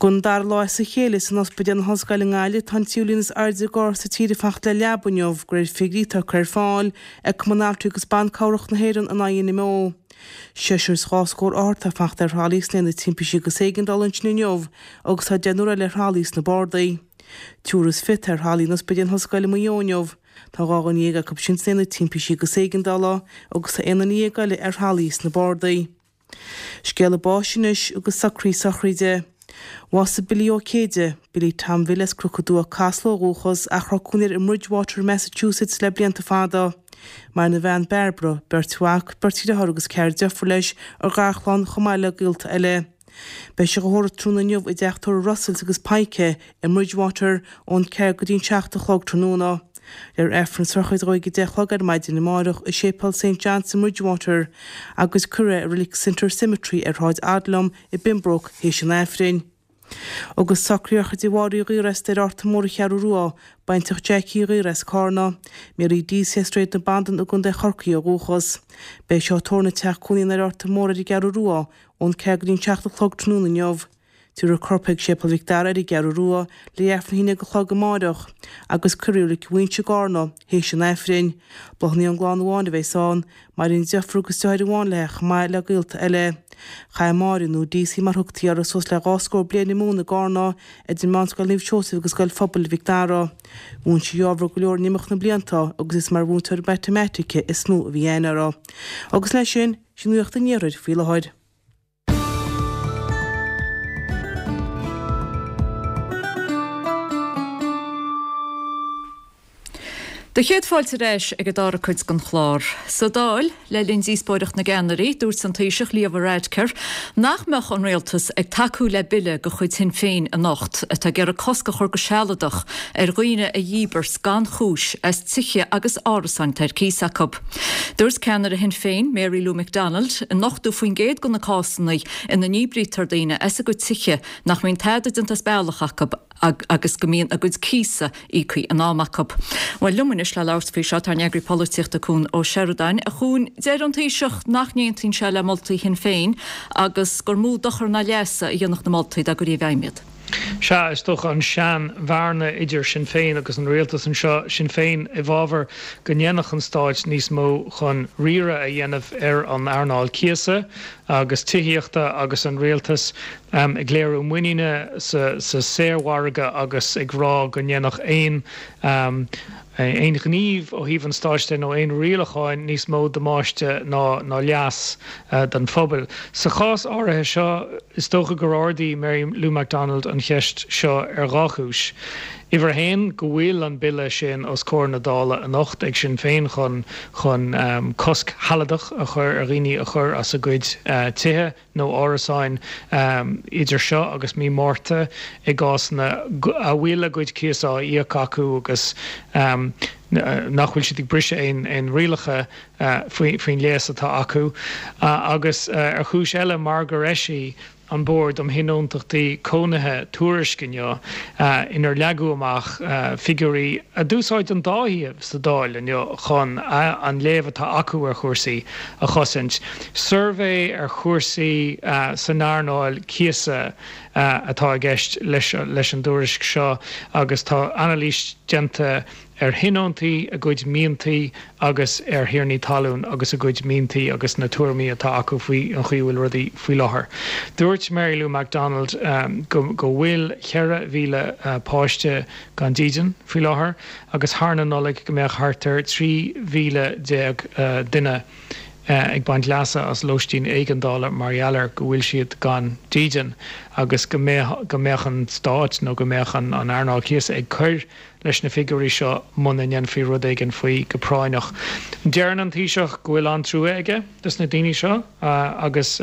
Speaker 12: Don dara lá as a chéile san Ospidéal na hOllscoile i nGaillimh tá an tríú líon is airde d'othair sa tír ag fanacht le leaba inniu de réir figiúirí atá curtha ar fáil ag Cumann Altraí agus Ban Cabhrach na hÉireann an INMO. Seisear is dhá scór othar atá ag fanacht ar thralaí sna haonaid timpistí agus éigeandála ansin inniu agus tá deichniúr eile ar thralaí sna bardaí. Triúr is fiche atá ar thralaí in Ospidéal na hOllscoile i Maigh Eo inniu. Tá dhá dhuine dhéag acu sin sna haonaid timpistí agus éigeandála agus tá aon duine dhéag eile ar thralaí sna bardaí. Scéala báis anois agus socruithe sochraide. Bhásaigh Billy Ó Céide, Billy Tom Bhill as Cnoc an Dua, Casla ó dhúchas, ach a raibh cónaí air i mBridgewater, Massachusetts le blianta fada. Maireann a bhean Barbara, beirt mhac, beirt dheartháir agus ceathrar deirfiúr leis, a gharchlann, chomh maith le gaolta eile. Beidh sé á thórramh tráthnóna inniu i dteach tórraimh Russells agus Pike i mBridgewater ón ceathair go dtí an seacht a chlog tráthnóna. Léifear Aifreann sochraide dhó ag a deich a chlog ar maidin amárach i Séipéal Saint John's i mBridgewater agus cuirfear é i Reilig Center Cemetery ar Shráid Odlum i bPembroke théis an Aifrinn. Agus socraíodh ar chuid de Mháire Uí Ghaora ar Fhearta Mór an Cheathrú Rua, baintreach Jackie Uí Ghaora as Cárna. Mary Deasy as Sráid na Bandan i gContae Chorcaí ó dhúchas. Beidh seó tórraimh ina teach cónaí ar Fhearta Mór ar an gCeathrú Rua ón ceathair go dtí an seacht a chlog tráthnóna inniu. Tabharfar a corp chuig Séipéal Mhic Dara ar an gCeathrú Rua le Aifreann a haon déag a chlog amáireach agus cuirfear i Reilig Mhuinseo i gCarna théis an Aifrinn. Bláthanna ón gclann amháin a bheas ann. Maireann deirfiúr agus deartháir amháin léi chomh maith le gaolta eile. Chaith Máire, nó Deasy mar thugtaí uirthi, suas le dhá scór bliain ag múineadh i gCarna, idir Meánscoil Naomh Seosamh agus Scoil Phobail Mhic Dara. Mhúin sí ábhar go leor in imeacht na blianta agus is mar mhúinteoir matamaitice is mó a bhí aithne uirthi. Agus leis sin, sin nuacht an iarthair faoi láthair.
Speaker 1: Do chéad fáilte ar ais ag an dara cuid den chlár. Sa Dáil, le linn díospóireacht na gceannairí, dúirt an Taoiseach Leo Varadkar nach mbeadh an rialtas ag tacú le bille de chuid Shinn Féin anocht atá ag iarraidh cosc a chur go sealadach ar dhaoine a dhíbirt gan chúis as tithe agus árasáin atá ar cíos acu. Dúirt ceannaire Shinn Féin, Mary Lou McDonald, in ochtó faoin gcéad de na cásanna ina ndíbrítear daoine as a gcuid tithe nach mbíonn tada déanta as bealach acu agus go mbíonn a gcuid cíosa íoctha in am acu. Bhuel, liom anois le labhairt faoi seo tá ár n-eagraí polaitíochta Cuan Ó Seireadáin. A Chuain, deir an Taoiseach nach n-aontaíonn sé le moltaí Shinn Féin agus gur mó dochar ná leasa a dhéanfadh na moltaí dá gcuirfí i bhfeidhm iad.
Speaker 17: Sea, is dócha an sean-bhearna idir Sinn Féin agus an rialtas anseo, Sinn Féin i bhfabhar go ndéanfadh an stáit níos mó chun riaradh a dhéanamh ar an earnáil cíosa agus tithíochta agus an rialtas ag léiriú muiníne sa saormhargadh agus ag rá go ndéanfadh aon aon ghníomh ó thaobh an stáit de nó aon rialacháin níos mó damáiste ná ná leas don phobal. Sa chás áirithe seo, is dócha gur ardaigh Mary Lou McDonald an cheist seo ar dhá chúis. Uimhir a haon, go bhfuil an bille sin os comhair na Dála anocht ag Sinn Féin chun chun cosc shealadach a chur ar dhaoine a chur as a gcuid tithe nó árasáin idir seo agus mí Márta i gcásanna a bhfuil a gcuid cíosa á íoc acu agus nach bhfuil siad ag briseadh aon rialacha faoin léas atá acu agus ar chúis eile mar gur eisigh an Bord um Thionóntachtaí Cónaithe tuairisc inniu inar leagadh amach figiúirí a d'úsáid an dá thaobh sa Dáil inniu chun an léamh atá acu ar chúrsaí a chosaint. Suirbhé ar chúrsaí san earnáil cíosa atá i gceist leis an dtuairisc seo agus tá anailís déanta ar thionóntaí, a gcuid miantaí agus ar thiarnaí talún agus a gcuid miantaí agus na tuairimí atá acu faoi an chaoi a bhfuil rudaí faoi láthair. Dúirt Mary Lou McDonald go go bhfuil ceithre mhíle páiste gan dídean faoi láthair agus thar na Nollaig go mbeadh thart ar trí mhíle déag duine ag baint leasa as lóistín éigeandála mar gheall ar go bhfuil siad gan dídean agus go mbeadh go mbeadh an stát nó go mbeadh an an earnáil cíosa ag cur leis na figiúirí seo muna ndéanfaí rud éigin faoi go práinneach. Deireann an Taoiseach go bhfuil an-trua aige dos na daoine seo agus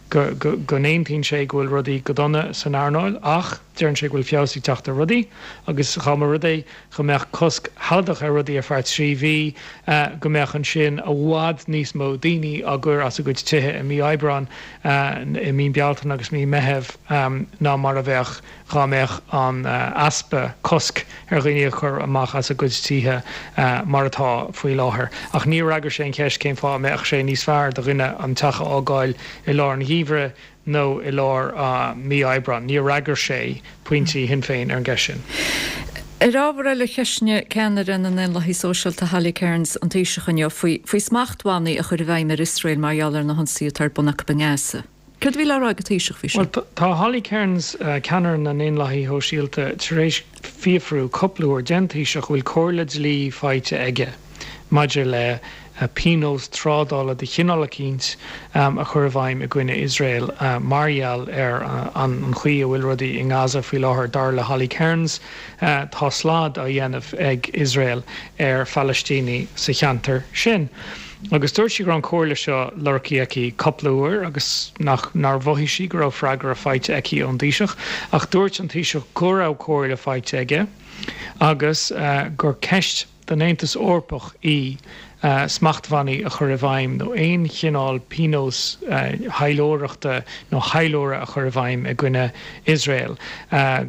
Speaker 17: go go go n-aontaíonn sé go bhfuil rudaí go dona san earnáil ach deireann sé go bhfuil feabhas ag teacht ar rudaí agus dá mba rud é go mbeadh cosc shealadach ar rudaí ar feadh trí mhí, go mbeadh ansin i bhfad níos mó daoine á gcur as a gcuid tithe i mí Aibreáin, i mí Bealtaine agus mí Meitheamh ná mar a bheadh dhá mbeadh an easpa cosc ar dhaoine a chur amach as a gcuid tithe mar atá faoi láthair. Ach níor fhreagair sé an cheist cén fáth a mbeadh sé níos fearr do dhuine an teach a fhágáil i lár an gheimhridh nó i lár mí Aibreáin. Níor fhreagair sé pointí Shinn Féin ar an gceist sin.
Speaker 1: Ar ábhar eile, cheistnigh ceannaire na nDaonlathaithe Sóisialta Holly Cairns an Taoiseach inniu faoi faoi smachtbhannaí a chur i bhfeidhm ar Iosrael mar gheall ar na hionsaithe atá ar bun acu i nGaza. Céard a bhí le rá ag an Taoiseach faoi sin?
Speaker 17: Bhuel, tá Holly Cairns, ceannaire na nDaonlathaithe Shóisialta, tar éis fiafrú cúpla uair den Taoiseach an bhfuil comhairle dlí faighte aige maidir le pionós trádála de chineál eicínt a chur i bhfeidhm i gcoinne Iosrael mar gheall ar an chaoi a bhfuil rudaí i nGaza faoi láthair. Dar le Holly Cairns, tá slad á dhéanamh ag Iosrael ar Phalaistínigh sa cheantar sin. Agus dúirt sí go raibh an chomhairle seo lorgtha aici cúpla uair agus nach nár mhothaigh sí go raibh freagra faighte aici ón dTaoiseach. Ach dúirt an Taoiseach go raibh comhairle faighte aige agus gur ceist don Aontas Eorpach í smachtbhannaí a chur i bhfeidhm nó aon chineál pionós taidhleoireachta nó taidhleora a chur i bhfeidhm i gcoinne Iosrael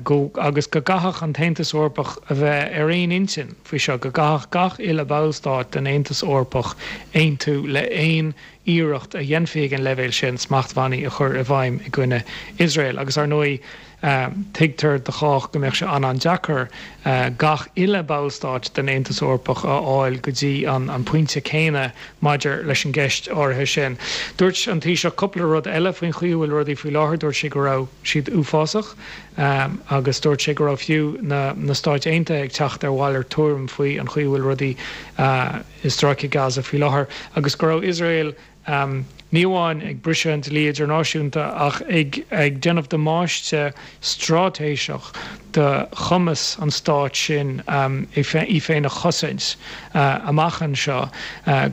Speaker 17: go agus go gcaithfeadh an tAontas Eorpach a bheith ar aon intinn faoi seo, go gcaithfeadh gach uile bhallstát den Aontas Eorpach aontú le haon iarracht a dhéanfaí ag an leibhéal sin smachtbhannaí a chur i bhfeidhm i gcoinne Iosrael. Agus ar ndóigh, tuigtear do chách go mbeadh sé an-an-deacair gach uile bhallstát den Aontas Eorpach a fháil go dtí an pointe céanna maidir leis an gceist áirithe sin. Dúirt an Taoiseach cúpla rud eile faoin chaoi a bhfuil rudaí faoi láthair. Dúirt sé go raibh siad uafásach agus dúirt sé go raibh fiú na Stáit Aontaithe ag teacht ar mhalairt tuairim faoi an chaoi a bhfuil rudaí i Stráice Gaza faoi láthair agus go raibh Iosrael ní amháin ag briseadh an dlí idirnáisiúnta ach ag ag déanamh damáiste straitéiseach do chumas an stáit sin é í féin a chosaint amach anseo,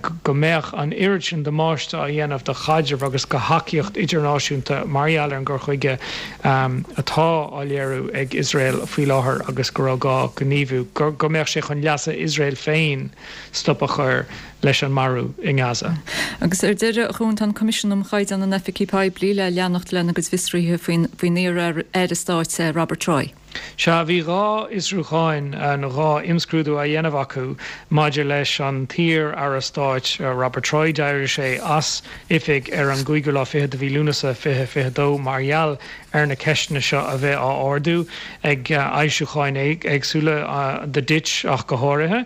Speaker 17: go mbeadh an oiread sin damáiste á dhéanamh do chaidreamh agus do thacaíocht idirnáisiúnta mar gheall ar an gcur chuige atá á léiriú ag Iosrael faoi láthair agus go raibh gá gníomhú, go mbeadh sé chun leasa Iosrael féin stop a chur leis an marú i nGaza.
Speaker 1: Agus ar deireadh, a Chuain, tá an Coimisiún um Chaighdeán in Oifigí Poiblí le leanacht lena gcuid fiosruithe faoin iar-aire stáit Robert Troy.
Speaker 17: Sea, bhí dhá fhiosrúchán nó dhá imscrúdú á dhéanamh acu maidir leis an t-iar-aire stáit Robert Troy. D'éirigh sé as oifig ar an gcúigiú lá fichead de mhí Lúnasa fiche fiche dó mar gheall ar na ceisteanna seo a bheith á ardú ag fhoilseacháin éagsúla, The Ditch ach go háirithe.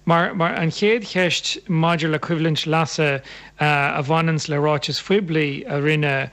Speaker 17: Mar mar an chéad cheist maidir le coimhlint leasa a bhaineanns le ráitis phoiblí a rinne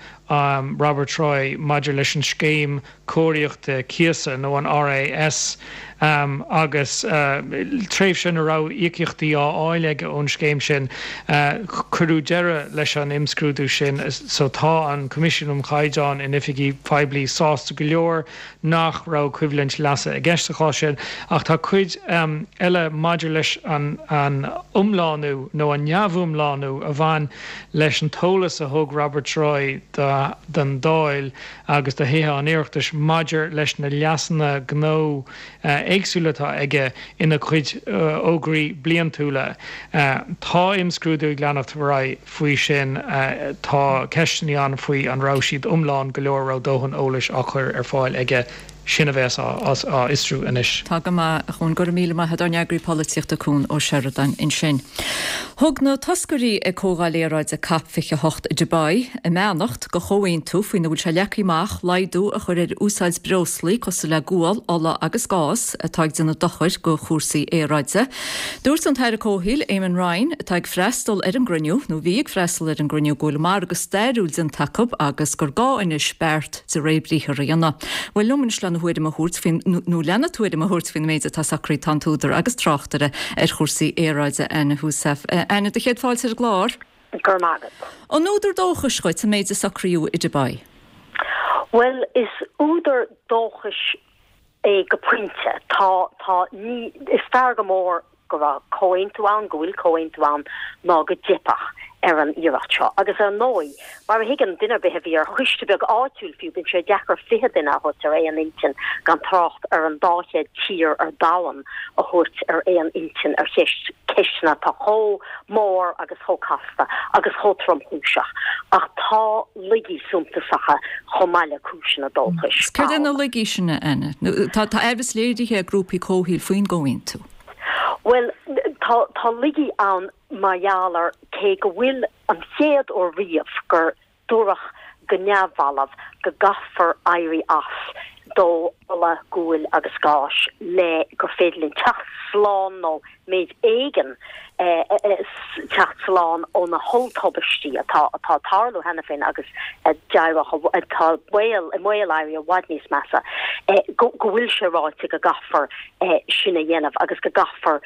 Speaker 17: Robert Troy maidir leis an scéim cóiríochta cíosa nó an RAS agus tréimhse ina raibh íocaíochtaí á fháil aige ón scéim sin, cuireadh deireadh leis an imscrúdú sin. So tá an Coimisiún um Chaighdeán in Oifigí Poiblí sásta go leor nach raibh coimhlint leasa i gceist sa chás sin ach tá cuid eile maidir leis an iomlánú nó an neamhiomlánú a bhain leis an t-eolas a thug Robert Troy don Dáil agus do Thithe an Oireachtais maidir leis na leasanna gnó éagsúla atá aige ina chuid fhógraí bliantúla. Tá imscrúdú ag leanacht ar aghaidh faoi sin. Tá ceisteanna ann faoi an raibh siad iomlán go leor, raibh dóthain eolais á chur ar fáil aige. Sin a bheas á fhiosrú anois.
Speaker 1: Tá go maith, a Chuain. Go raibh míle maith agat, ár n-eagraí polaitíochta Cuan Ó Seireadáin ansin. Thug na toscairí ag Comhdháil Aeráide Cop fiche a hocht i Dubai a mbeannacht do chomhaontú faoina bhfuil sé leagtha amach laghdú a chur ar úsáid breoslaí cosúil le gual, ola agus gás atá ag déanamh dochair do chúrsaí aeráide. Dúirt an tAire Comhshaoil Eamon Ryan, atá ag freastal ar an gcruinniú, nó bhí ag freastal ar an gcruinniú, go bhfuil margadh stairiúil déanta acu agus gur gá anois beart de réir briathar a dhéanamh. Bhuel liom anois lena thuairim a thabhairt faoin, nó lena tuairim a thabhairt faoin méid atá socraithe tá an t-údar agus tráchtaire ar chúrsaí aeráide Anna Heussaff. Anna, do chéad fáilte ar an gclár.
Speaker 18: Go raibh maith agat.
Speaker 1: An údar dóchais dhuit an méid a socraíodh i Dubai?
Speaker 18: Bhuel, is údar dóchais é go pointe. Tá, tá, ní, is fearr go mór go raibh comhaontú ann, go bhfuil comhaontú ann, ná go dteipfeadh ar an iarracht seo. Agus ar ndóigh, mar a thuigeann duine ar bith a bhí ar choiste beag áitiúil fiú, bíonn sé deacair fiche duine a thabhairt ar aon intinn, gan trácht ar an dá chéad tír ar domhan a thabhairt ar aon intinn ar cheist, ceisteanna atá chomh mór agus chomh casta agus chomh tromchúiseach. Ach tá laigí suntasacha chomh maith le cúiseanna dóchais
Speaker 1: Céard é
Speaker 18: ann.
Speaker 1: na laigí sin, a Anna? Tá aimhreas léirithe ag grúpaí comhshaoil faoin gcomhaontú.
Speaker 18: Bhuel, tá, tá laigí ann mar gheall ar cé go bhfuil an chéad uair riamh gur dúradh go neamhbhalbh go gcaithfear éirí as dó ola, guail agus gáis le gur féidir linn teacht slán nó méid éigin teacht slán ó na holltubaistí atá atá ag tarlú cheana féin agus a d'éireodh atá baol i mbaol éirí i bhfad níos measa, go go bhfuil sé ráite go gcaithfear sin a dhéanamh agus go gcaithfear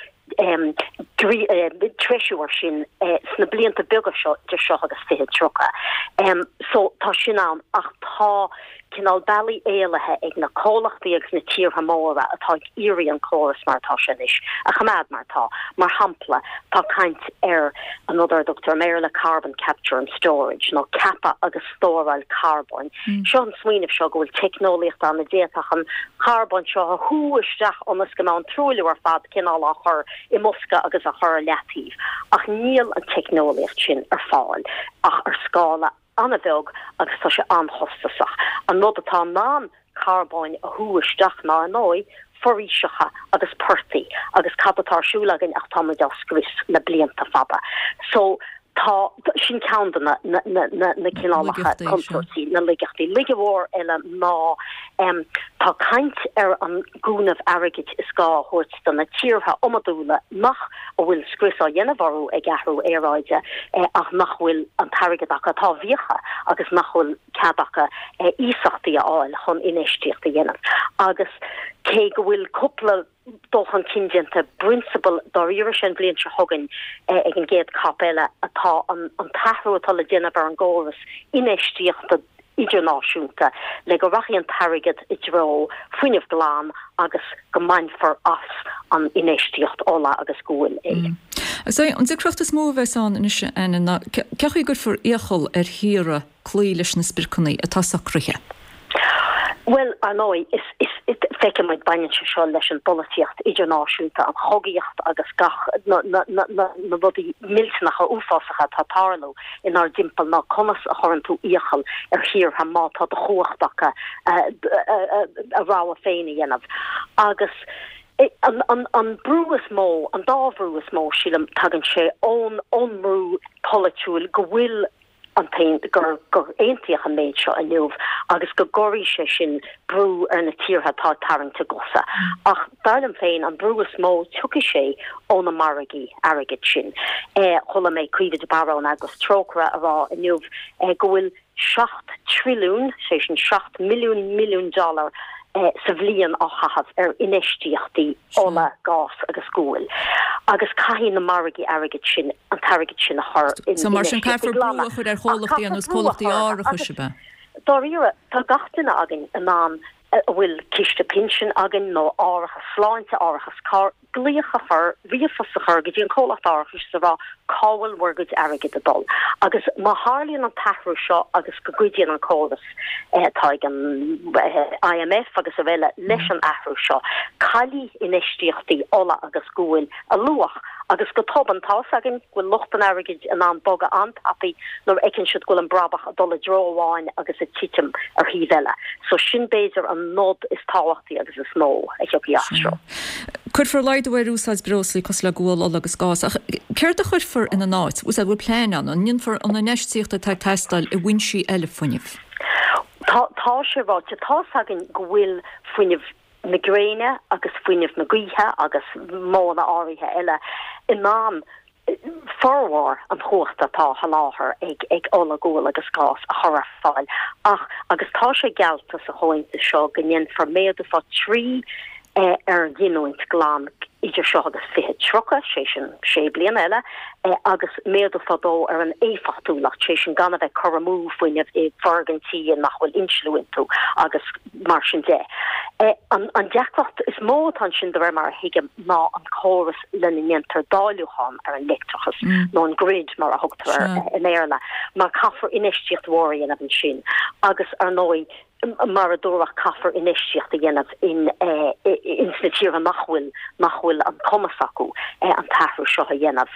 Speaker 18: treisiú ar sin sna blianta beaga seo idir seo agus fiche tríocha. So tá sin ann ach tá cineál bealaí éalaithe ag na comhlachtaí agus na tíortha móra atá ag iarraidh an córas mar atá sé anois a choimeád mar atá. Mar shampla, tá caint ar an rud ar a dtugtar i mBéarla carbon capture and storage, nó ceapadh agus stóráil carbóin. Seo an smaoineamh seo go bhfuil teicneolaíocht ann a d'fhéadfadh an carbón seo a shú isteach ionas go mbeadh an truailliú ar fad cineál á chur i mbosca agus á chur ar leataobh. Ach níl an teicneolaíocht sin ar fáil ach ar scála an-bheag agus tá sé an-chostasach. An rud atá in ann carbóin a shú isteach ná, ar ndóigh, foraoiseacha agus portaigh agus cad atá ar siúl againn ach tá muid á scrios le blianta fada. So, tá, sin ceann de na, na, na, na, na cineálacha contúirtí, na laigeachtaí. Laige mhór eile ná em, tá caint ar an gcúnamh airgid is gá a thabhairt do na tíortha iomadúla nach a bhfuil scrios á dhéanamh orthu ag athrú aeráide ach nach bhfuil an t-airgead acu, atá i bhfiacha agus nach bhfuil cead acu iasachtaí a fháil chun infheistíocht a dhéanamh. Agus cé go bhfuil cúpla dul chun cinn déanta i bprionsabal dáiríre is an bhliain seo chugainn ag an gcéad cop eile atá an t-athrú atá le déanamh ar an gcóras infheistíochta idirnáisiúnta le go rachaidh an t-airgead i dtreo fuinneamh glan agus go mbainfear as an infheistíocht ola agus guail é.
Speaker 1: Is é an deacracht is mó a bheas ann anois, Anna, ná cén chaoi a gcuirfear iachall ar thíortha cloí leis na spriocanna atá socraithe.
Speaker 18: Bhuel, ar ndóigh, is, is, feicfidh muid, baineann sé seo leis an bpolaitíocht idirnáisiúnta, an chogaíocht agus gach, na, na, na, na, na rudaí millteanacha uafásacha atá ag tarlú inár dtimpeall ná conas a chuireann tú iachall ar thíortha má tá de chumhacht acu a rogha féin a dhéanamh. Agus an, an, an brú is mó, an dá bhrú is mó, sílim, tagann sé ón, ón mbrú polaitiúil go bhfuil an gur gur aontaíodh an méid seo inniu agus go gcuirfidh sé sin brú ar na tíortha atá ag tarraingt a gcosa. Ach dar liom féin, an brú is mó, tiocfaidh sé ó na margaí airgid sin. Chuala mé Caoimhe de Barra ón eagras Trócaire a rá inniu go bhfuil seacht trilliún, sé sin seacht milliún milliún dollar, sa bhliain á chaitheamh ar infheistíochtaí ola, gás agus guail agus caithfidh na margaí airgid sin an t-airgead sin a chur in
Speaker 1: So mar sin
Speaker 18: infheistíochtaí
Speaker 1: caithfear brú
Speaker 18: glana.
Speaker 1: a chur ar
Speaker 18: Ach
Speaker 1: chomhlachtaí
Speaker 18: caithfear
Speaker 1: ar nós
Speaker 18: brú a
Speaker 1: comhlachtaí
Speaker 18: chur
Speaker 1: árachais,
Speaker 18: agus
Speaker 1: ab ea?
Speaker 18: dáiríre tá gach duine againn in ann a bhfuil ciste pinsin againn nó árachas sláinte, árachas cairr, glaoch a chur, ríomhphost a chur go dtí an comhlacht árachais is a rá cá bhfuil bhur gcuid airgid ag dul. Agus má tharlaíonn an t-athrú seo agus go gcuidíonn an córas atá ag an I M F agus araile leis an athrú seo, caillfidh infheistíochtaí ola agus guail a luach agus go tobann tá fhios againn go bhfuil lucht an airgid in ann bogadh an-tapaidh nuair a fheiceann siad go bhfuil an brabach ag dul i dtreo amháin agus ag titim ar thaobh eile. So sin b'fhéidir an nod is tábhachtaí agus is mó a thiocfaidh as seo.
Speaker 1: Cuirfear laghdú ar úsáid breoslaí cosúil le gual, ola agus gás, ach céard a chuirfear ina n-áit? Bhfuil bhfuil plean ann, an ndéanfar an infheistíocht atá ag teastáil i bhfoinsí eile fuinnimh?
Speaker 18: Tá tá sé ráite, tá fhios againn go bhfuil fuinneamh na gréine agus fuinneamh na gaoithe agus modhanna áirithe eile in ann formhór an chumhachta atá á sholáthar ag ag ola, gual agus gás a chur ar fáil ach agus tá sé geallta sa chomhaontú seo go ndéanfar méadú fá trí ar ghiniúint glan idir seo agus fiche tríocha, sé sin sé bliana eile, agus méadú fá dó ar an éifeachtúlacht, sé sin gan a bheith cur amú fuinnimh i bhfoirgintí nach bhfuil insliú iontu agus mar sin de. An deacracht is mó atá ansin de réir mar a thuigim ná an córas lena ndéantar dáiliúchán ar an leictreachas, nó an grid mar a thugtar air i mBéarla, mar caithfear infheistíocht mhór a dhéanamh ansin agus ar ndóigh, mar a dúradh, caithfear infheistíocht a dhéanamh in ins na tíortha nach bhfuil nach bhfuil an cumas acu an t-athrú seo a dhéanamh.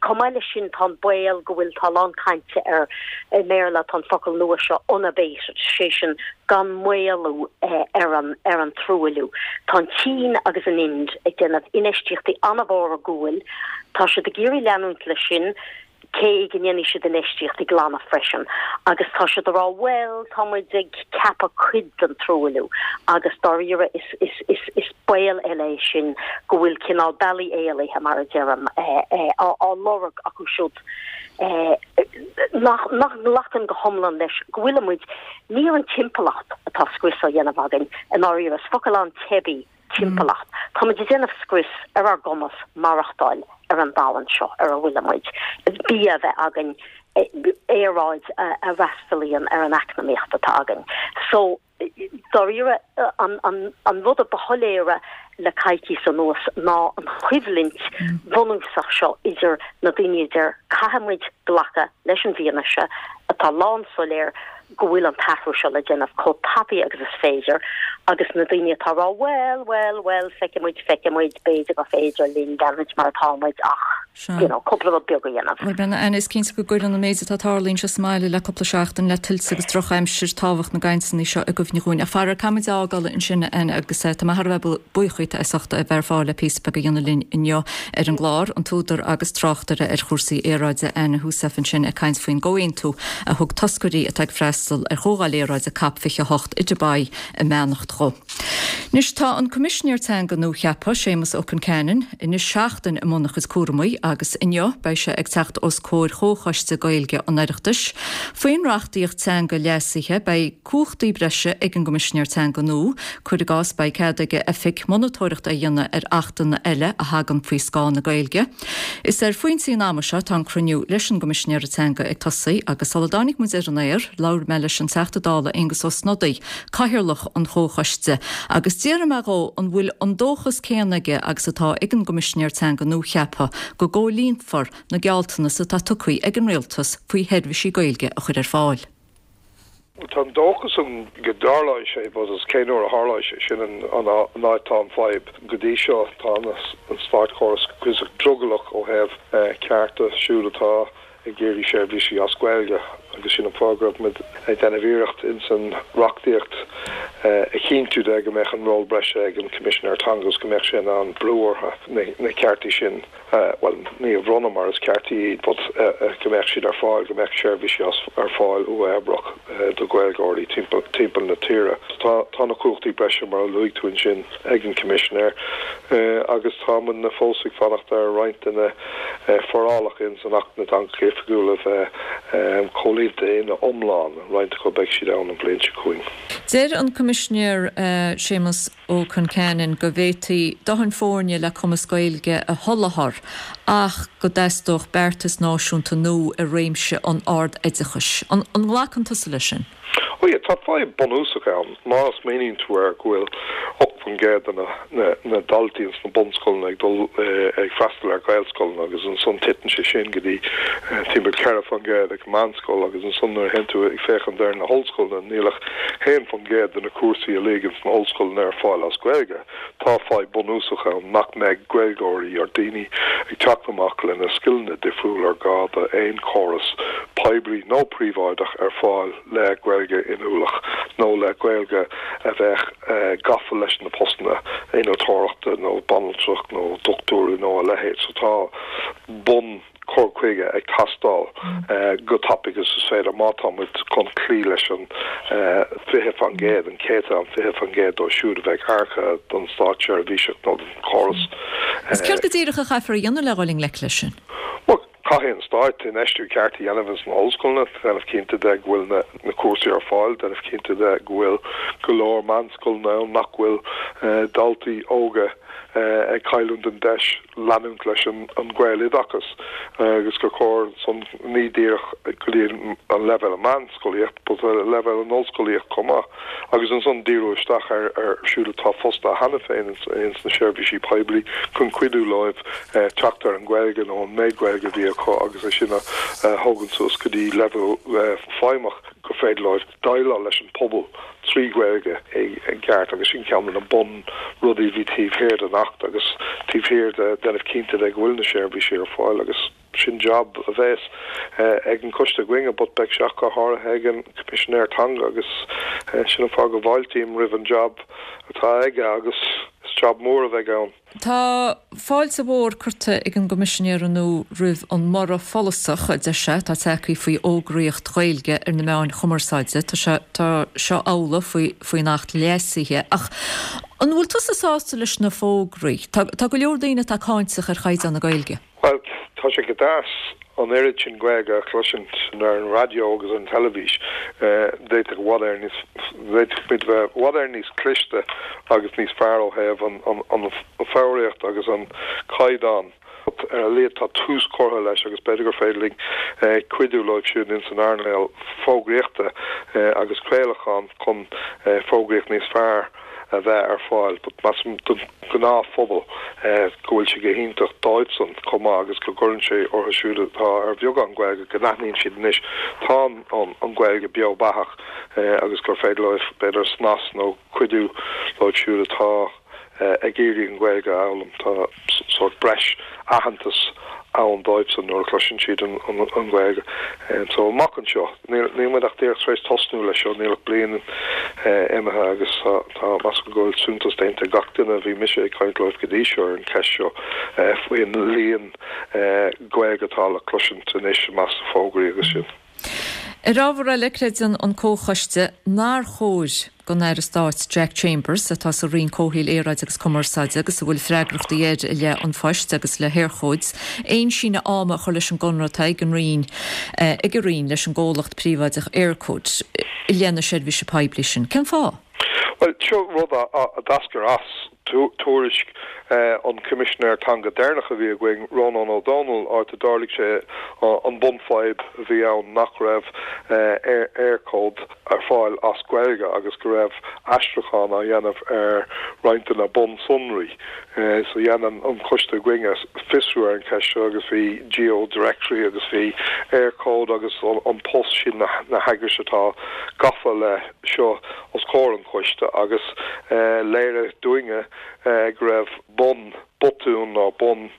Speaker 18: Chomh maith leis sin tá an baol go bhfuil tá a lán cainte ar i mBéarla tá an focal nua seo unabated, sé sin gan maolú ar an ar an truailliú. Tá an tSín agus an Ind ag déanamh infheistíochtaí an-mhóra i ngual, tá siad ag iarraidh leanúint leis sin, cé go ndéanfaidh siad infheistíochtaí glana freisin agus tá siad ag rá bhuel tá muid ag ceapadh cuid den truailliú agus dáiríre is is is is baol eile é sin go bhfuil cineál bealaí éalaithe mar a deirim á á lorg acu siúd nach nach nglacann go hiomlán leis go bhfuil muid ní ar an timpeallacht atá scrios á dhéanamh againn i ndáiríre is focal an-teibí timpeallacht. Táimid ag déanamh scrios ar ár gcumas maireachtáil ar an domhan seo ar a bhfuilimid, bia a bheith againn, aeráid a fhreastalaíonn ar an eacnamaíocht atá againn. So Dáiríre, an rud a ba shoiléire le coicís anuas ná an choimhlint bhunúsach seo idir na daoine a deir caithfidh muid glacadh leis an bhfianaise atá lánsoiléir go bhfuil an t-athrú seo le déanamh chomh tapaidh agus is féidir agus na daoine atá ag rá bhuel, bhuel, bhuel, feicfidh muid, feicfidh muid, b'fhéidir gur féidir linn leanúint mar atá muid ach you know, cúpla rud beag a dhéanamh.
Speaker 1: Bhuel, Brenna, Anna, is cinnte go gcuireann an méid atá ag tarlú anseo sa mbaile le cúpla seachtain le tuilte agus drochaimsir tábhacht na gcainteanna seo i gcuimhne dhúinn. Ach faraor, caithfidh muid a fhágáil ansin, Anna, agus tá mé thar a bheith buíoch díot as ucht a bheith ar fáil le píosa beag a dhéanamh linn inniu ar an gclár, an t-údar agus tráchtaire ar chúrsaí aeráide Anna Heussaff ansin ag caint faoin gcomhaontú a thug toscairí atá ag freastal ar chomhdháil aeráide Cop fiche a hocht i Dubai a mbeannacht dhó. Anois tá an Coimisinéir Teanga nuacheaptha, Séamus Ó Concheanainn, anois seachtain i mbun a chuid cúramaí agus inniu beidh sé ag teacht os comhair Chomhchoiste Gaeilge an Oireachtais. Faoin reachtaíocht teanga leasaithe beidh cumhachtaí breise ag an gCoimisinéir Teanga nua, cuir i gcás beidh cead ag a oifig monatóireacht a dhéanamh ar achtanna eile a thagann faoi scáth na Gaeilge. Is ar phointí an ama seo atá an cruinniú leis an gCoimisinéir Teanga ag tosaí agus sula dtáinig muid ar an aer, labhair mé leis an Teachta Dála Aengus Ó Snodaigh, Cathaoirleach an Chomhchoiste, agus d'fhiafraigh mé dhó an bhfuil an dóchas céanna aige agus atá ag an gCoimisinéir Teanga nuacheaptha go gcomhlíonfar na gealltanais atá tugtha ag an Rialtas faoi sheirbhísí Gaeilge a chur ar fáil.
Speaker 19: Tá an dóchas ann go dtarlóidh sé, but is cén uair a tharlóidh sé, sin an áit atá an fadhb. Go dtí seo tá an státchóras cuíosach drogallach ó thaobh cearta siúd atá ag iarraidh seirbhísí as Gaeilge agus sin an fáth go raibh muid ag déanamh iarracht ins an reachtaíocht a chinntiú de go mbeadh an ról breise ag an Coimisinéir Teanga agus go mbeadh sé in ann brú orthu na ceartaí sin, bhuel, ní a bhronnadh mar is ceartaí iad but go mbeadh siad ar fáil, go mbeadh seirbhísí ar fáil uathoibríoch do Ghaeilgeoirí timpeall na tíre. Tá tá na cumhachtaí breise mar a luaigh tú ansin ag an Coimisinéir agus tá muidne fós ag fanacht ar roinnt de na forálacha ins an Acht na dTeangacha Oifigiúla a bheith comhlíonta ina iomlán, roinnt acu beidh siad ann an bhliain seo chugainn.
Speaker 1: Deir an Coimisinéir Séamus Ó Concheanainn go bhféadfaí dóthain foirne le cumas Gaeilge a sholáthar ach go dteastódh beartas náisiúnta nua i réimse an ard-oideachais. An nglacann tusa leis sin?
Speaker 19: Ó yeah, tá fadhb bunúsach ann. Má smaoiníonn tú air go bhfuil ocht faoin gcéad de na na daltaí ins na bunscoileanna ag dul ag freastal ar Ghaelscoileanna agus ansan titeann sé sin go dtí timpeall ceithre faoin gcéad ag meánscoil agus ansan nuair a théann tú ag féachaint ar na hollscoileanna níl ach haon faoin gcéad de na cúrsaí uilig ins na hollscoileanna ar fáil as Gaeilge. Tá fadhb bunúsach ann nach mbeidh Gaeilgeoirí or daoine ag teacht amach lena scileanna difriúla ar gá do aon chóras poiblí nó príobháideach ar fáil le Gaeilge inniúlach nó le Gaeilge a bheadh gafa leis na postanna innealtóireachta nó banaltrach nó dochtúirí nó a leithéid. So tá bun cur chuige ag teastáil go tapaidh agus is féidir má tá muid chun cloí leis an fiche faoin gcéad, an céatadán fiche faoin gcéad dóibh siúd a bheidh earcaithe don státseirbhíseach nó don chóras.
Speaker 1: Is céard go díreach a chaithfear a dhéanamh le dhul i ngleic leis sin?
Speaker 19: Bhuel, caithfidh an Stát infheistiú ceart a dhéanamh ins na hollscoileanna, déanamh cinnte de go bhfuil na cúrsaí ar fáil, déanamh cinnte de go bhfuil go leor meánscoileanna ann nach bhfuil daltaí óga ag cailliúint an deis leanúint leis an Ghaeloideachas agus gur chóir san ní díreach go dtí an leibhéal meánscolaíocht but leibhéal an ollscolaíocht chomh maith agus ansan díriú isteach ar ar siúd atá fostaithe cheana féin ins na seirbhísí poiblí chun cuidiú leo teacht ar an Ghaeilge nó an méid Gaeilge a bhí acu agus é sin a thógaint suas go dtí leibhéal feidhmeach gur féidir leo déileáil leis an pobal trí Ghaeilge i gceart agus sin ceann de na bun rudaí a bhí taobh thiar den Acht agus taobh thiar de déanamh cinnte de go bhfuil na seirbhísí ar fáil agus sin jab a bheas ag an coiste againne but beidh sé ach go háirithe ag an Coimisinéir Teanga agus sin an fáth go bhfáiltím roimh an jab atá aige agus is jab mór a bheidh ann.
Speaker 1: Tá fáilte mhór curtha ag an gCoimisinéir nua roimh an mborradh follasach, a deir sé, atá tagtha faoi fhógraíocht Ghaeilge ar na meáin chumarsáide. Tá sé tá seo amhlaidh faoi faoin Acht leasaithe. Ach an bhfuil tusa sásta leis na fógraí? Tá tá go leor daoine atá cáinteach ar chaighdeán na Gaeilge.
Speaker 19: Bhuel, tá sé go deas an oiread sin Gaeilge a chloisint ar an raidió agus an teilifís. D'fhéadfadh i bhfad Éireann níos, d'fhéadfadh muid bheith i bhfad Éireann níos cliste agus níos fearr ó thaobh an, an, an foghraíocht agus an caighdeán Ar a laghad tá tús curtha leis agus b'fhéidir gur féidir linn cuidiú leo siúd ins an earnáil fógraíochta agus craolacháin chun fógraíocht níos fearr a bheith ar fáil. But measaim don ghnáthphobal go bhfuil sé go hiontach dóibhsan chomh maith agus go gcuireann sé orthu siúd atá ar bheagán Gaeilge go n-aithníonn siad anois tá an Ghaeilge beo beathach agus gur féidir leo b'fhéidir snas nó cuidiú leo siúd atá ag iarraidh an Ghaeilge a fhoghlaim. Tá sórt breis aitheantas ann dóibhsan nuair a chloiseann siad an Ghaeilge. So amach anseo, níl muid ach díreach tar éis tosnú leis seo, níl ach bliain imithe agus tá measaim go bhfuil suntas déanta ag gach duine a bhí mise ag caint leo go dtí seo ar an cheist seo faoin líon Gaeilge atá le cloisint anois i measc na fógraí agus sin.
Speaker 1: Ar ábhar eile, creideann an Comhchoiste nár chóir don Aire Stáit Jack Chambers, atá sa Roinn Comhshaoil, Aeráide agus Cumarsáide agus a bhfuil freagrachtaí air i leith An Phoist agus le hEircode, aon síneadh ama a chur leis an gconradh atá ag an Roinn ag an Roinn leis an gcomhlacht príobháideach Eircode i leith na seirbhíse poiblí sin. Cén fáth?
Speaker 19: Bhuel, seo rud a d'eascair as tuairisc an Choimisinéir Teanga deireanach a bhí againn, Rónán Ó Domhnaill, áit a d'ardaigh sé an bunfhadhb a bhí ann nach raibh Eircode ar fáil as Gaeilge agus go raibh aistriúchán á dhéanamh ar roinnt de na bunsonraí. So dhein an coiste againne fiosrú ar an cheist seo agus bhí GeoDirectory agus bhí Eircode agus An Post, sin na heagrais atá gafa le seo os comhair an choiste agus léirigh dúinne go raibh bun botún nó bun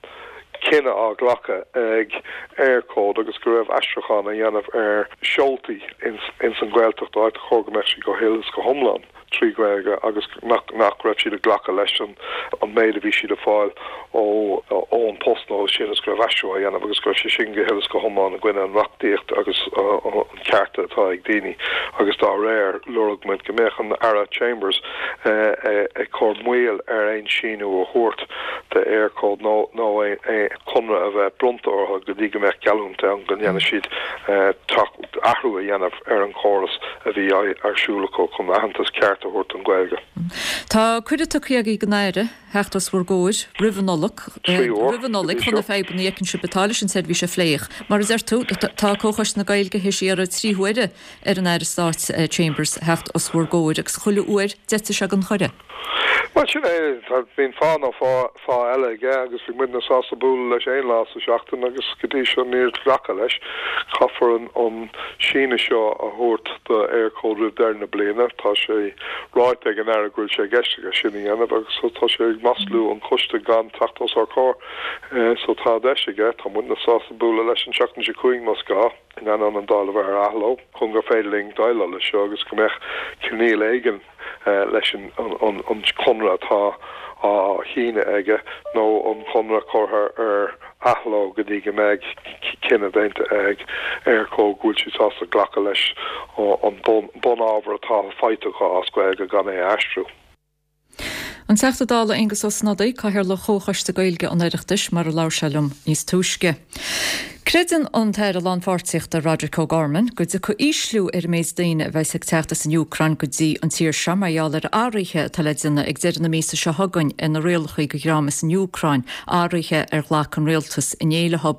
Speaker 19: cinneadh á ghlacadh ag Eircode agus go raibh aistriúchán á dhéanamh ar seoltaí ins an Ghaeltacht áit a chóir go mbeadh siad go huile is go hiomlán trí Ghaeilge agus nach nach raibh siad ag glacadh leis an an méid a bhí siad ag fáil ó ó An Post nó sin is go raibh aistriú á dhéanamh agus go raibh sé sin go huile is go hiomlán i gcoinne an reachtaíocht agus an cearta atá ag daoine agus dá réir lorg muid go mbeadh an Aire Chambers ag cur moill ar aon síniú a thabhairt do Eircode nó nó aon conradh a bheith bronnta orthu go dtí go mbeadh geallúint ann go ndéanfaidh siad athrú a dhéanamh ar an chóras a bhí ar siúl acu chun aitheantas ceart a thabhairt don Ghaeilge.
Speaker 1: Tá cuireadh tugtha agaibh don Aire theacht os bhur gcomhair roimh an Nollaig, roimh an Nollaig chun na fadhbanna a fheiceann sibh atá leis an tseirbhís a phlé. Mar a deir tú, tá Comhchoiste na Gaeilge théis iarraidh trí huaire ar an Aire Stáit Chambers theacht os bhur gcomhair agus chuile uair d'eitigh sé den chuireadh.
Speaker 19: Bhuel, sin é, bíonn fáth nó fáth eile aige agus bhí muidne sásta bualadh leis aon lá sa seachtain agus go dtí seo níor glacadh leis. Caithfear an síneadh seo a thabhairt do Eircode roimh deireadh na bliana. Tá sé ráite ag an Aire go bhfuil sé i gceist aige sin a dhéanamh agus tá sé ag maslú an choiste gan teacht os ár comhair. So tá deis aige, tá muidne sásta bualadh leis an tseachtain seo chugainn más gá, in ainneoin an Dáil a bheith ar athló, chun gur féidir linn déileáil leis seo agus go mbeadh coinníoll éigin leis an conradh atá á shíneadh aige nó an conradh curtha ar athló go dtí go mbeidh cinneadh déanta ag Eircode go bhfuil siad sásta glacadh leis an bunábhar atá faighte acu as Gaeilge gan é a aistriú.
Speaker 1: An Teachta Dála Aengus Ó Snodaigh, Cathaoirleach Chomhchoiste Gaeilge an Oireachtais, mar a labhair sé liom níos túisce. Creideann an tAire Lánpháirtíochta Roderic O'Gorman go dtiocfaidh ísliú ar an méid daoine a bheas ag teacht as an Úcráin go dtí an tír seo mar gheall ar athruithe atá le déanamh ag deireadh na míosa seo chugainn ar na rialacha do dhream as an Úcráin, athruithe ar ghlac an rialtas inné leo.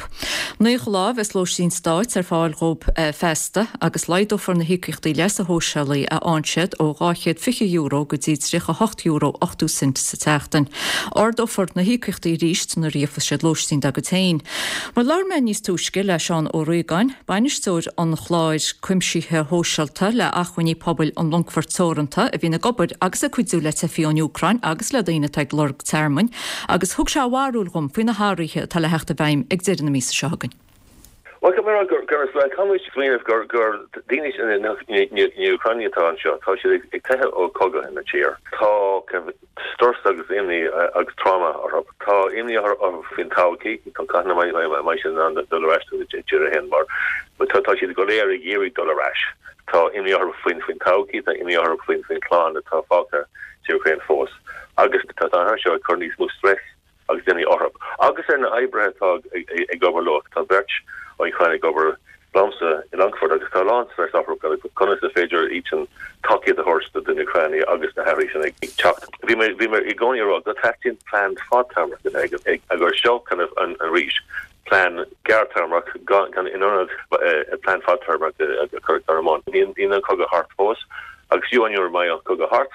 Speaker 1: Naocha lá a bheas lóistín stáit ar fáil dhóibh feasta agus laghdófar na híocaíochtaí leasa shóisialaigh a fhaigheann siad ó dhá chéad fiche euro go dtí tríocha hocht euro ochtó cent sa tseachtain. Ardófar na híocaíochtaí arís nuair a gheobhas siad lóistín dá gcuid féin. Mar labhair mé níos túisce le Seán Ó Riagáin, bainisteoir an chláir cuimsithe shóisialta le Acmhainní Pobail an Longfoirt Teoranta a bhíonn ag obair agus ag cuidiú le teifigh ón Úcráin agus le daoine atá ag lorg tearmainn, agus thug sé a bharúil dhom faoi na hathruithe atá le theacht i bhfeidhm ag deireadh na míosa seo chugainn.
Speaker 20: Bhuel, caithfidh mé a rá gur gur caithfimid smaoineamh gur gur daoine na hÚcránaigh atá anseo, tá siad ag teitheadh ó chogadh ina tír. Tá strus agus imní agus tráma orthu. Tá imní orthu faoin todhchaí, cathain a mbeidh siad in ann dul ar ais dá dtír féin mar tá tá siad go léir ag iarraidh dul ar ais. Tá imní orthu faoin faoin todhchaí, tá imní orthu faoin faoin chlann atá fágtha sa Úcráin fós. Agus tá an seo ag cur níos mó stress agus imní orthu. Agus ar na oibrithe atá ag obair leo, tá beirt ó Úcráin ag obair liomsa i Longfort agus tá a lán stress orthu conas is féidir iad sin tacaíocht a thabhairt do na hÚcránaigh agus na hathruithe sin ag teacht. Bhí mé bhí mé i gcónaí ag rá go dteastaíonn plean fadtéarmach ag ag agus seo kind of an arís plean gearrthéarmach gan in ionad plean fadtéarmach a chur ar bun. Níl an cogadh thart fós agus fiú an uair a mbeidh an cogadh thart,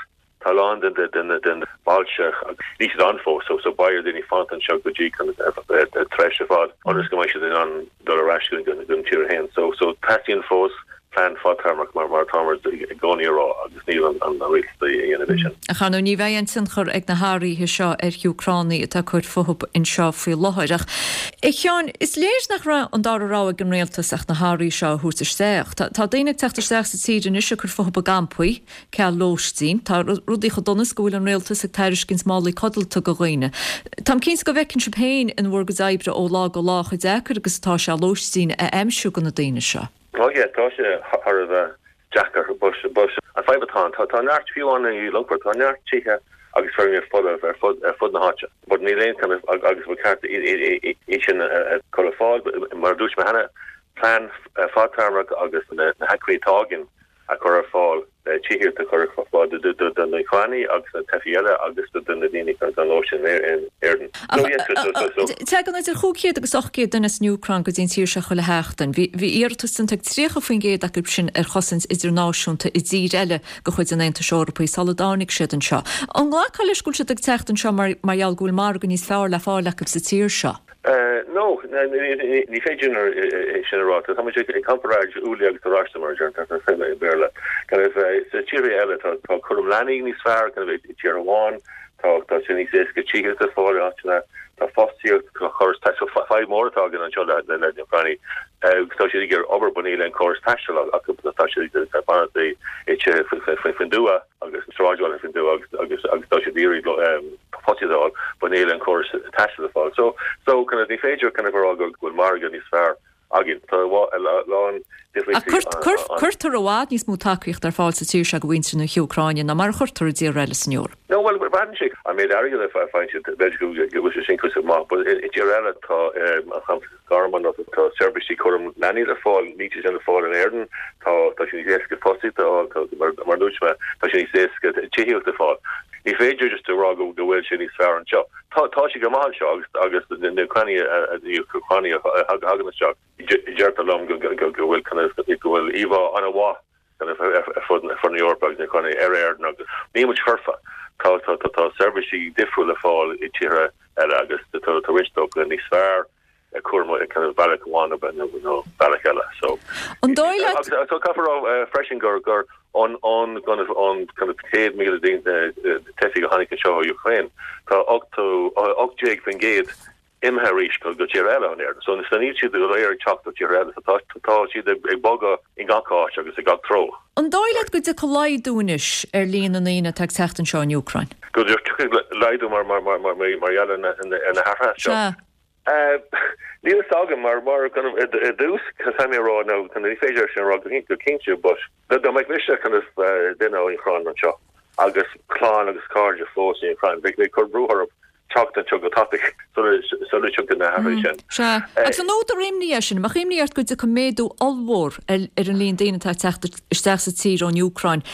Speaker 20: Tá a lán den den den bailte agus níl siad ann fós so so beidh ar daoine fanacht anseo go dtí tréimhse fada ionas go mbeidh siad in ann dul ar ais go go an tír féin. So so teastaíonn fós plean fadtéarmach mar mar atáimid i gcónaí a rá agus níl an an rialtas ag déanamh é sin.
Speaker 1: Ach ar ndóigh ní bheidh aon tionchar ag na hathruithe seo ar Úcránaigh atá ag cur fúthu anseo faoi láthair. Ach a Sheáin, is léir nach raibh an dara rogha ag an rialtas ach na hathruithe seo a thabhairt isteach. Tá tá daoine ag teacht isteach sa tír anois ag cur fúthu i gcampaí. Ceal lóistín. Tá rudaí chomh dona is go bhfuil an rialtas ag tairiscint málaí codlata do dhaoine. Táim cinnte go bhfeiceann sibh féin in bhur gcuid oibre ó lá go lá chomh deacair agus atá sé lóistín a aimsiú do na daoine seo.
Speaker 20: Oh yeah, tá sé thar a bheith deacair but but an fadhb atá ann, tá tá neart fiú ann i Longfort, tá neart tithe agus feirmeacha folamh ar fud ar fud na háite. But níl aon kind of agus ba cheart é sin a chur ar fáil, mar a dúirt mé cheana, plean fadtéarmach agus na hacmhainní atá againn a chur ar fáil le tithíocht a chur ar fáil do na hÚcránaigh agus na teifigh eile agus do na daoine gan lóistín in Éirinn.
Speaker 1: Tagann idir chúig chéad agus ocht gcéad duine as an Úcráin go dtí an tír seo chuile sheachtain. Bhí iarratas déanta ag tríocha faoin gcéad acu sin ar chosaint idirnáisiúnta i dtír eile de chuid an Aontais Eorpaigh sula dtáinig siad anseo. An nglacfá leis go bhfuil siad ag teacht anseo mar gheall go bhfuil margadh níos fearr le fáil acu sa tír seo?
Speaker 20: No, ní féidir sin a rá. Tá muid ag comparáid úllaí agus oráiste mar a deirtear i mBéarla. Kind of sa tíortha eile tá tá cúram leanaí níos fearr kind of i tír amháin, tá tá sé níos éasca tithíocht a fháil in áiteanna, tá fostaíocht, tá córas taistil, fadhb mór atá againn anseo le le na Úcránaigh. Tá siad ag iarraidh obair but níl aon córas taistil acu, tá siad ag fanacht i tithe faoin tuath agus sráidbhaile faoin tuath agus agus agus tá siad ag iarraidh fostaíocht a fháil but níl aon córas taistil ar fáil. So so kind of ní féidir kind of a rá go bhfuil margadh níos fearr againn. Tá a lán
Speaker 1: difríochtaí ann. Cuirtear i bhfad níos mó tacaíocht ar fáil sa tír seo do mhuintir na hÚcráine ná mar a chuirtear i dtíortha eile san Eoraip.
Speaker 20: No, well, braitheann sé an méid airgid a faigheann siad, b'fhéidir go bhfuil sé sin cúrsaí maith, but i dtír eile tá an Garman tá seirbhísí cúram leanaí le fáil, níl sé sin le fáil in Éirinn, tá tá sé níos éasca fostaíocht a fháil, tá mar mar a dúirt mé, tá sé níos éasca tithíocht a fáil. Ní féidir just a rá go go bhfuil sé níos fearr anseo. Tá tá sé go maith anseo agus agus na Úcránaigh na Úcránaigh a thagann isteach, deirtear liom go go go bhfuil kind of go bhfuil íomhá an-mhaith kind of ar fud ar fud na hEorpa agus na Úcránaigh ar Éirinn agus níl muid foirfe. Tá tá tá tá seirbhísí difriúla le fáil i tíortha eile agus tá tá roinnt dócha níos fearr cúram kind of bealach amháin nó nó bealach eile. So
Speaker 1: An dóigh leat
Speaker 20: agus so caithfear a rá freisin gur gur an an kind of an kind of céad míle daoine teifigh a tháinig anseo ó Ukraine tá ochtó ocht déag faoin gcéad imithe arís go go tír eile ón Éirinn. So so níl siad go léir ag teacht ó tír eile so tá tá siad ag ag bogadh i gach áit agus i gach treo.
Speaker 1: An dóigh leat go dtiocfaidh laghdú anois ar líon na ndaoine atá ag teacht anseo ón Úcráin?
Speaker 20: Go dtiocfaidh laghdú mar mar mar mar mar gheall ar na ar na hathruithe seo?
Speaker 1: Sea.
Speaker 20: Níl a fhios agam mar mar kind of i dtús caithfidh mé a rá nó kind of ní féidir sin a rá go go cinnte but dá mbeadh mise kind of duine ón Úcráin anseo agus clann agus cairde fós san Úcráin bheadh mé ag cur brú orthu teacht anseo go tapaidh sula sula dtiocfaidh na hathruithe sin.
Speaker 1: Sea. Agus an údar imní é sin? An mbeadh imní ort go dtiocfaidh méadú ollmhór ar ar an líon daoine atá ag teacht isteach sa tír ón Úcráin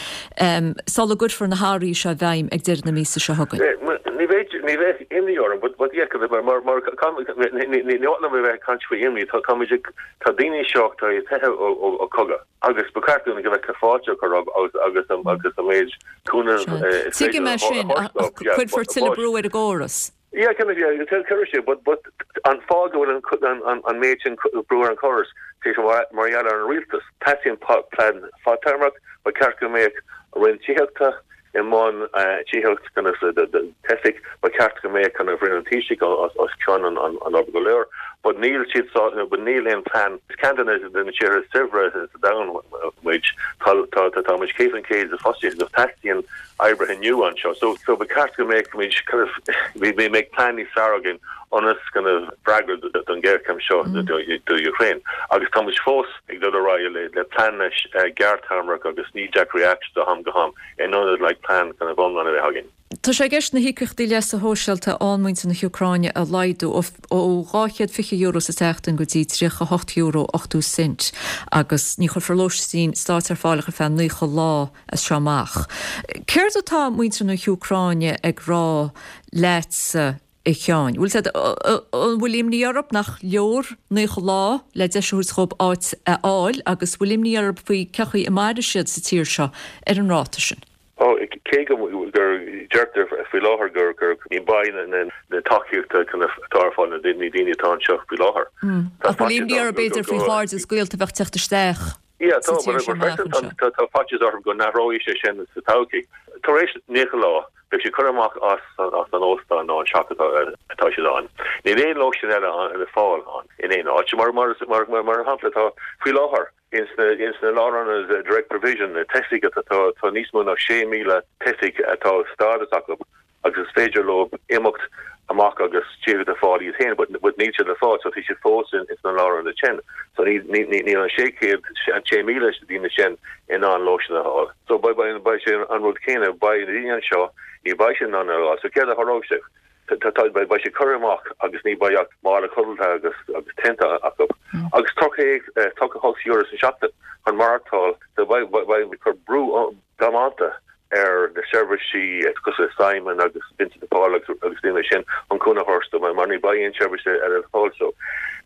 Speaker 1: sula gcuirfear na hathruithe seo i bhfeidhm ag deireadh na míosa seo chugainn?
Speaker 20: Ní bheidh ní bheadh imní orm but but yeah mar mar mar ní ní ní maith liom a bheith ag caint faoi imní tá táimid ag tá daoine seo tá ag teitheadh ó ó ó cogadh agus ba cheart dúinn go bheith fáilte a chur rompu agus agus an agus an méid cúnamh is féidir
Speaker 1: Tuigim é
Speaker 20: a
Speaker 1: sin
Speaker 20: thabhairt
Speaker 1: ach
Speaker 20: dóibh yeah
Speaker 1: cuirfear
Speaker 20: but
Speaker 1: tuilleadh
Speaker 20: but
Speaker 1: brú ar an gcóras.
Speaker 20: Yeah kind of yeah cuirfidh sé but but an fáth go bhfuil an an an méid sin brú ar an chóras tá sé mar mar gheall ar an rialtas. Teastaíonn plean fadtéarmach ba cheart go mbeadh Roinn Tithíochta i mbun tithíocht kind of do teifigh, ba cheart go mbeadh kind of Roinn an Taoisigh os cionn an obair go léir, but níl siad sásta, but níl aon plean. Is ceann de na tíortha is saibhre sa domhan muid, tá tá tá muid céad faoin gcéad de fostaíocht agus teastaíonn oibrithe nua anseo. So so ba cheart go mbeadh muid kind of mbeadh plean níos fearr againn ionas kind of freagairt don ghéarchéim seo do Ukraine. Agus tá muid fós ag dul ar aghaidh le le pleananna gearrthéarmach agus knee-jerk reactions ó am go ham in ionad like plean kind of iomlán a bheith againn.
Speaker 1: Tá sé i gceist na híocaíochtaí leasa shóisialta a fhaigheann muintir na hÚcráine a laghdú ó dhá chéad fiche euro sa tseachtain go dtí tríocha hocht euro ochtó cent agus ní chuirfear lóistín stáit ar fáil ach ar feadh naocha lá as seo amach. Céard atá muintir na hÚcráine ag rá leatsa, a Sheáin? Bhfuil siad, an bhfuil imní orthu nach leor naocha lá le deis a thabhairt dhóibh áit a fháil agus bhfuil imní orthu faoi cén chaoi a mairfidh siad sa tír seo ar an ráta sin?
Speaker 20: Ó, cé go gur deirtear faoi láthair gur gur ní beidh na na tacaíochta atá ar fáil na daoine atá anseo faoi láthair.
Speaker 1: Ach bhfuil imní orthu b'fhéidir faoi chairde is gaolta a bheadh teacht isteach
Speaker 20: Yeah,
Speaker 1: sa
Speaker 20: tá,
Speaker 1: tír
Speaker 20: but
Speaker 1: seo amach
Speaker 20: freisin
Speaker 1: anseo?
Speaker 20: tá tá faitíos orthu go n-athróidh sé sin sa todhchaí. Tar éis naocha lá, beidh siad curtha amach as as an óstán nó an teach atá atá siad ann. Níl aon lóistín eile le fáil ann in aon áit. Mar mar mar mar mar shampla tá faoi láthair ins na ins na lárionaid direct provision na teifigh atá tá tá níos mó ná sé míle teifigh atá stádas acu agus is féidir leo imeacht amach agus tithe a fháil iad féin but but níl siad le fáil so tá siad fós in ins na lárionaid sin so ní ní ní níl an sé chéad an sé míle daoine sin in ann lóistín a fháil so beidh beidh beidh sé an rud céanna beidh na daoine anseo ní beidh siad in ann a fháil so céard a tharlóidh sé tá tá beidh beidh siad curtha amach agus ní beidh ach mála codlata agus agus tente acu agus tríocha tríocha hocht euro sa seachtain chun maireachtáil so beidh beidh beidh cur brú damanta ar na seirbhísí cosúil le Simon agus Vincent de Paul agus agus daoine sin chun cúnamh a thabhairt dóibh mar ní beidh aon seirbhís eile ar fáil so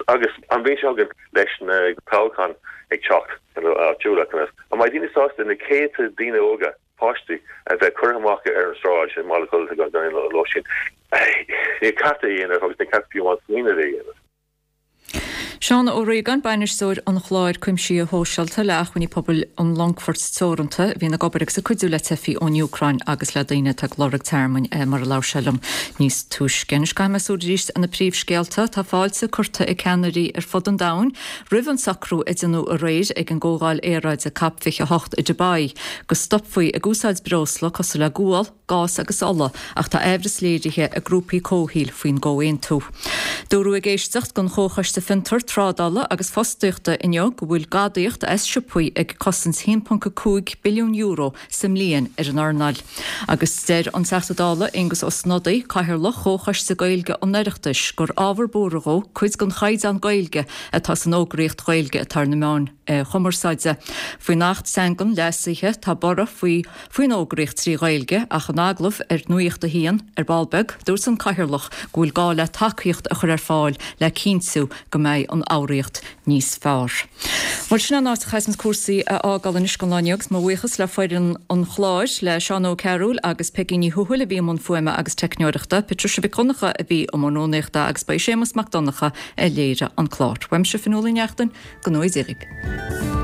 Speaker 20: agus an bhliain seo chugainn leis na toghcháin ag teacht áitiúla an mbeidh daoine sásta na céadta daoine óga páistí a bheith curtha amach ar an sráid i mBaile Codlata gan aon lóistín ní ceart é a dhéanamh agus ní ceart fiú amháin smaoineamh é a dhéanamh.
Speaker 1: Seán Ó Riagáin, Bainisteoir an Chláir Cuimsithe Shóisialta le Acmhainní Pobail an Longfoirt Teoranta, a bhíonn ag obair agus ag cuidiú le teifigh ón Úcráin agus le daoine atá ag lorg tearmainn, mar a labhair sé liom níos túisce. Anois caithfidh mé súil arís ar na príomhscéalta. Tá fáilte curtha ag ceannairí ar fud an domhain roimh an socrú a déanadh aréir ag an gcomhdháil aeráide Cop fiche a hocht i Dubai go stopfaí ag úsáid breosla cosúil le gual, gás agus ola ach tá aimhreas léirithe ag grúpaí comhshaoil faoin gcomhaontú. Dúradh ag éisteacht don Chomhchoiste Fiontar, Trádála agus Fostaíochta inniu go bhfuil gadaíocht as siopaí ag cosaint a haon ponc a cúig billiún euro sa mbliain ar an earnáil. Agus deir an Teachta Dála Aengus Ó Snodaigh, Cathaoirleach Chomhchoiste Gaeilge an Oireachtais, gur ábhar buartha dhó cuid den chaighdeán Gaeilge atá san fhógraíocht Ghaeilge atá ar na meáin chumarsáide. Faoin Acht Teangan leasaithe tá borradh faoi faoin fhógraíocht trí Ghaeilge ach in agallamh ar Nuacht a hAon ar ball beag, dúirt an Cathaoirleach go bhfuil gá le tacaíocht a chur ar fáil le cinntiú go mbeidh an fhoghraíocht níos fearr. Bhuel sin an áit a chaithfeas muid cúrsaí a fhágáil anois don lá inniu agus mo bhuíochas le foireann an chláir, le Seán Ó Cearúil agus Peigí Ní Thuathail a bhí i mbun fuaime agus teicneoireachta, Patricia Mhic Dhonncha a bhí i mbun rúnaíochta agus ba í Séamus Mac Donncha a léirigh an clár. Uaimse Fionnuala Ní Neachtain, go ngnóthaí Dia dhaoibh.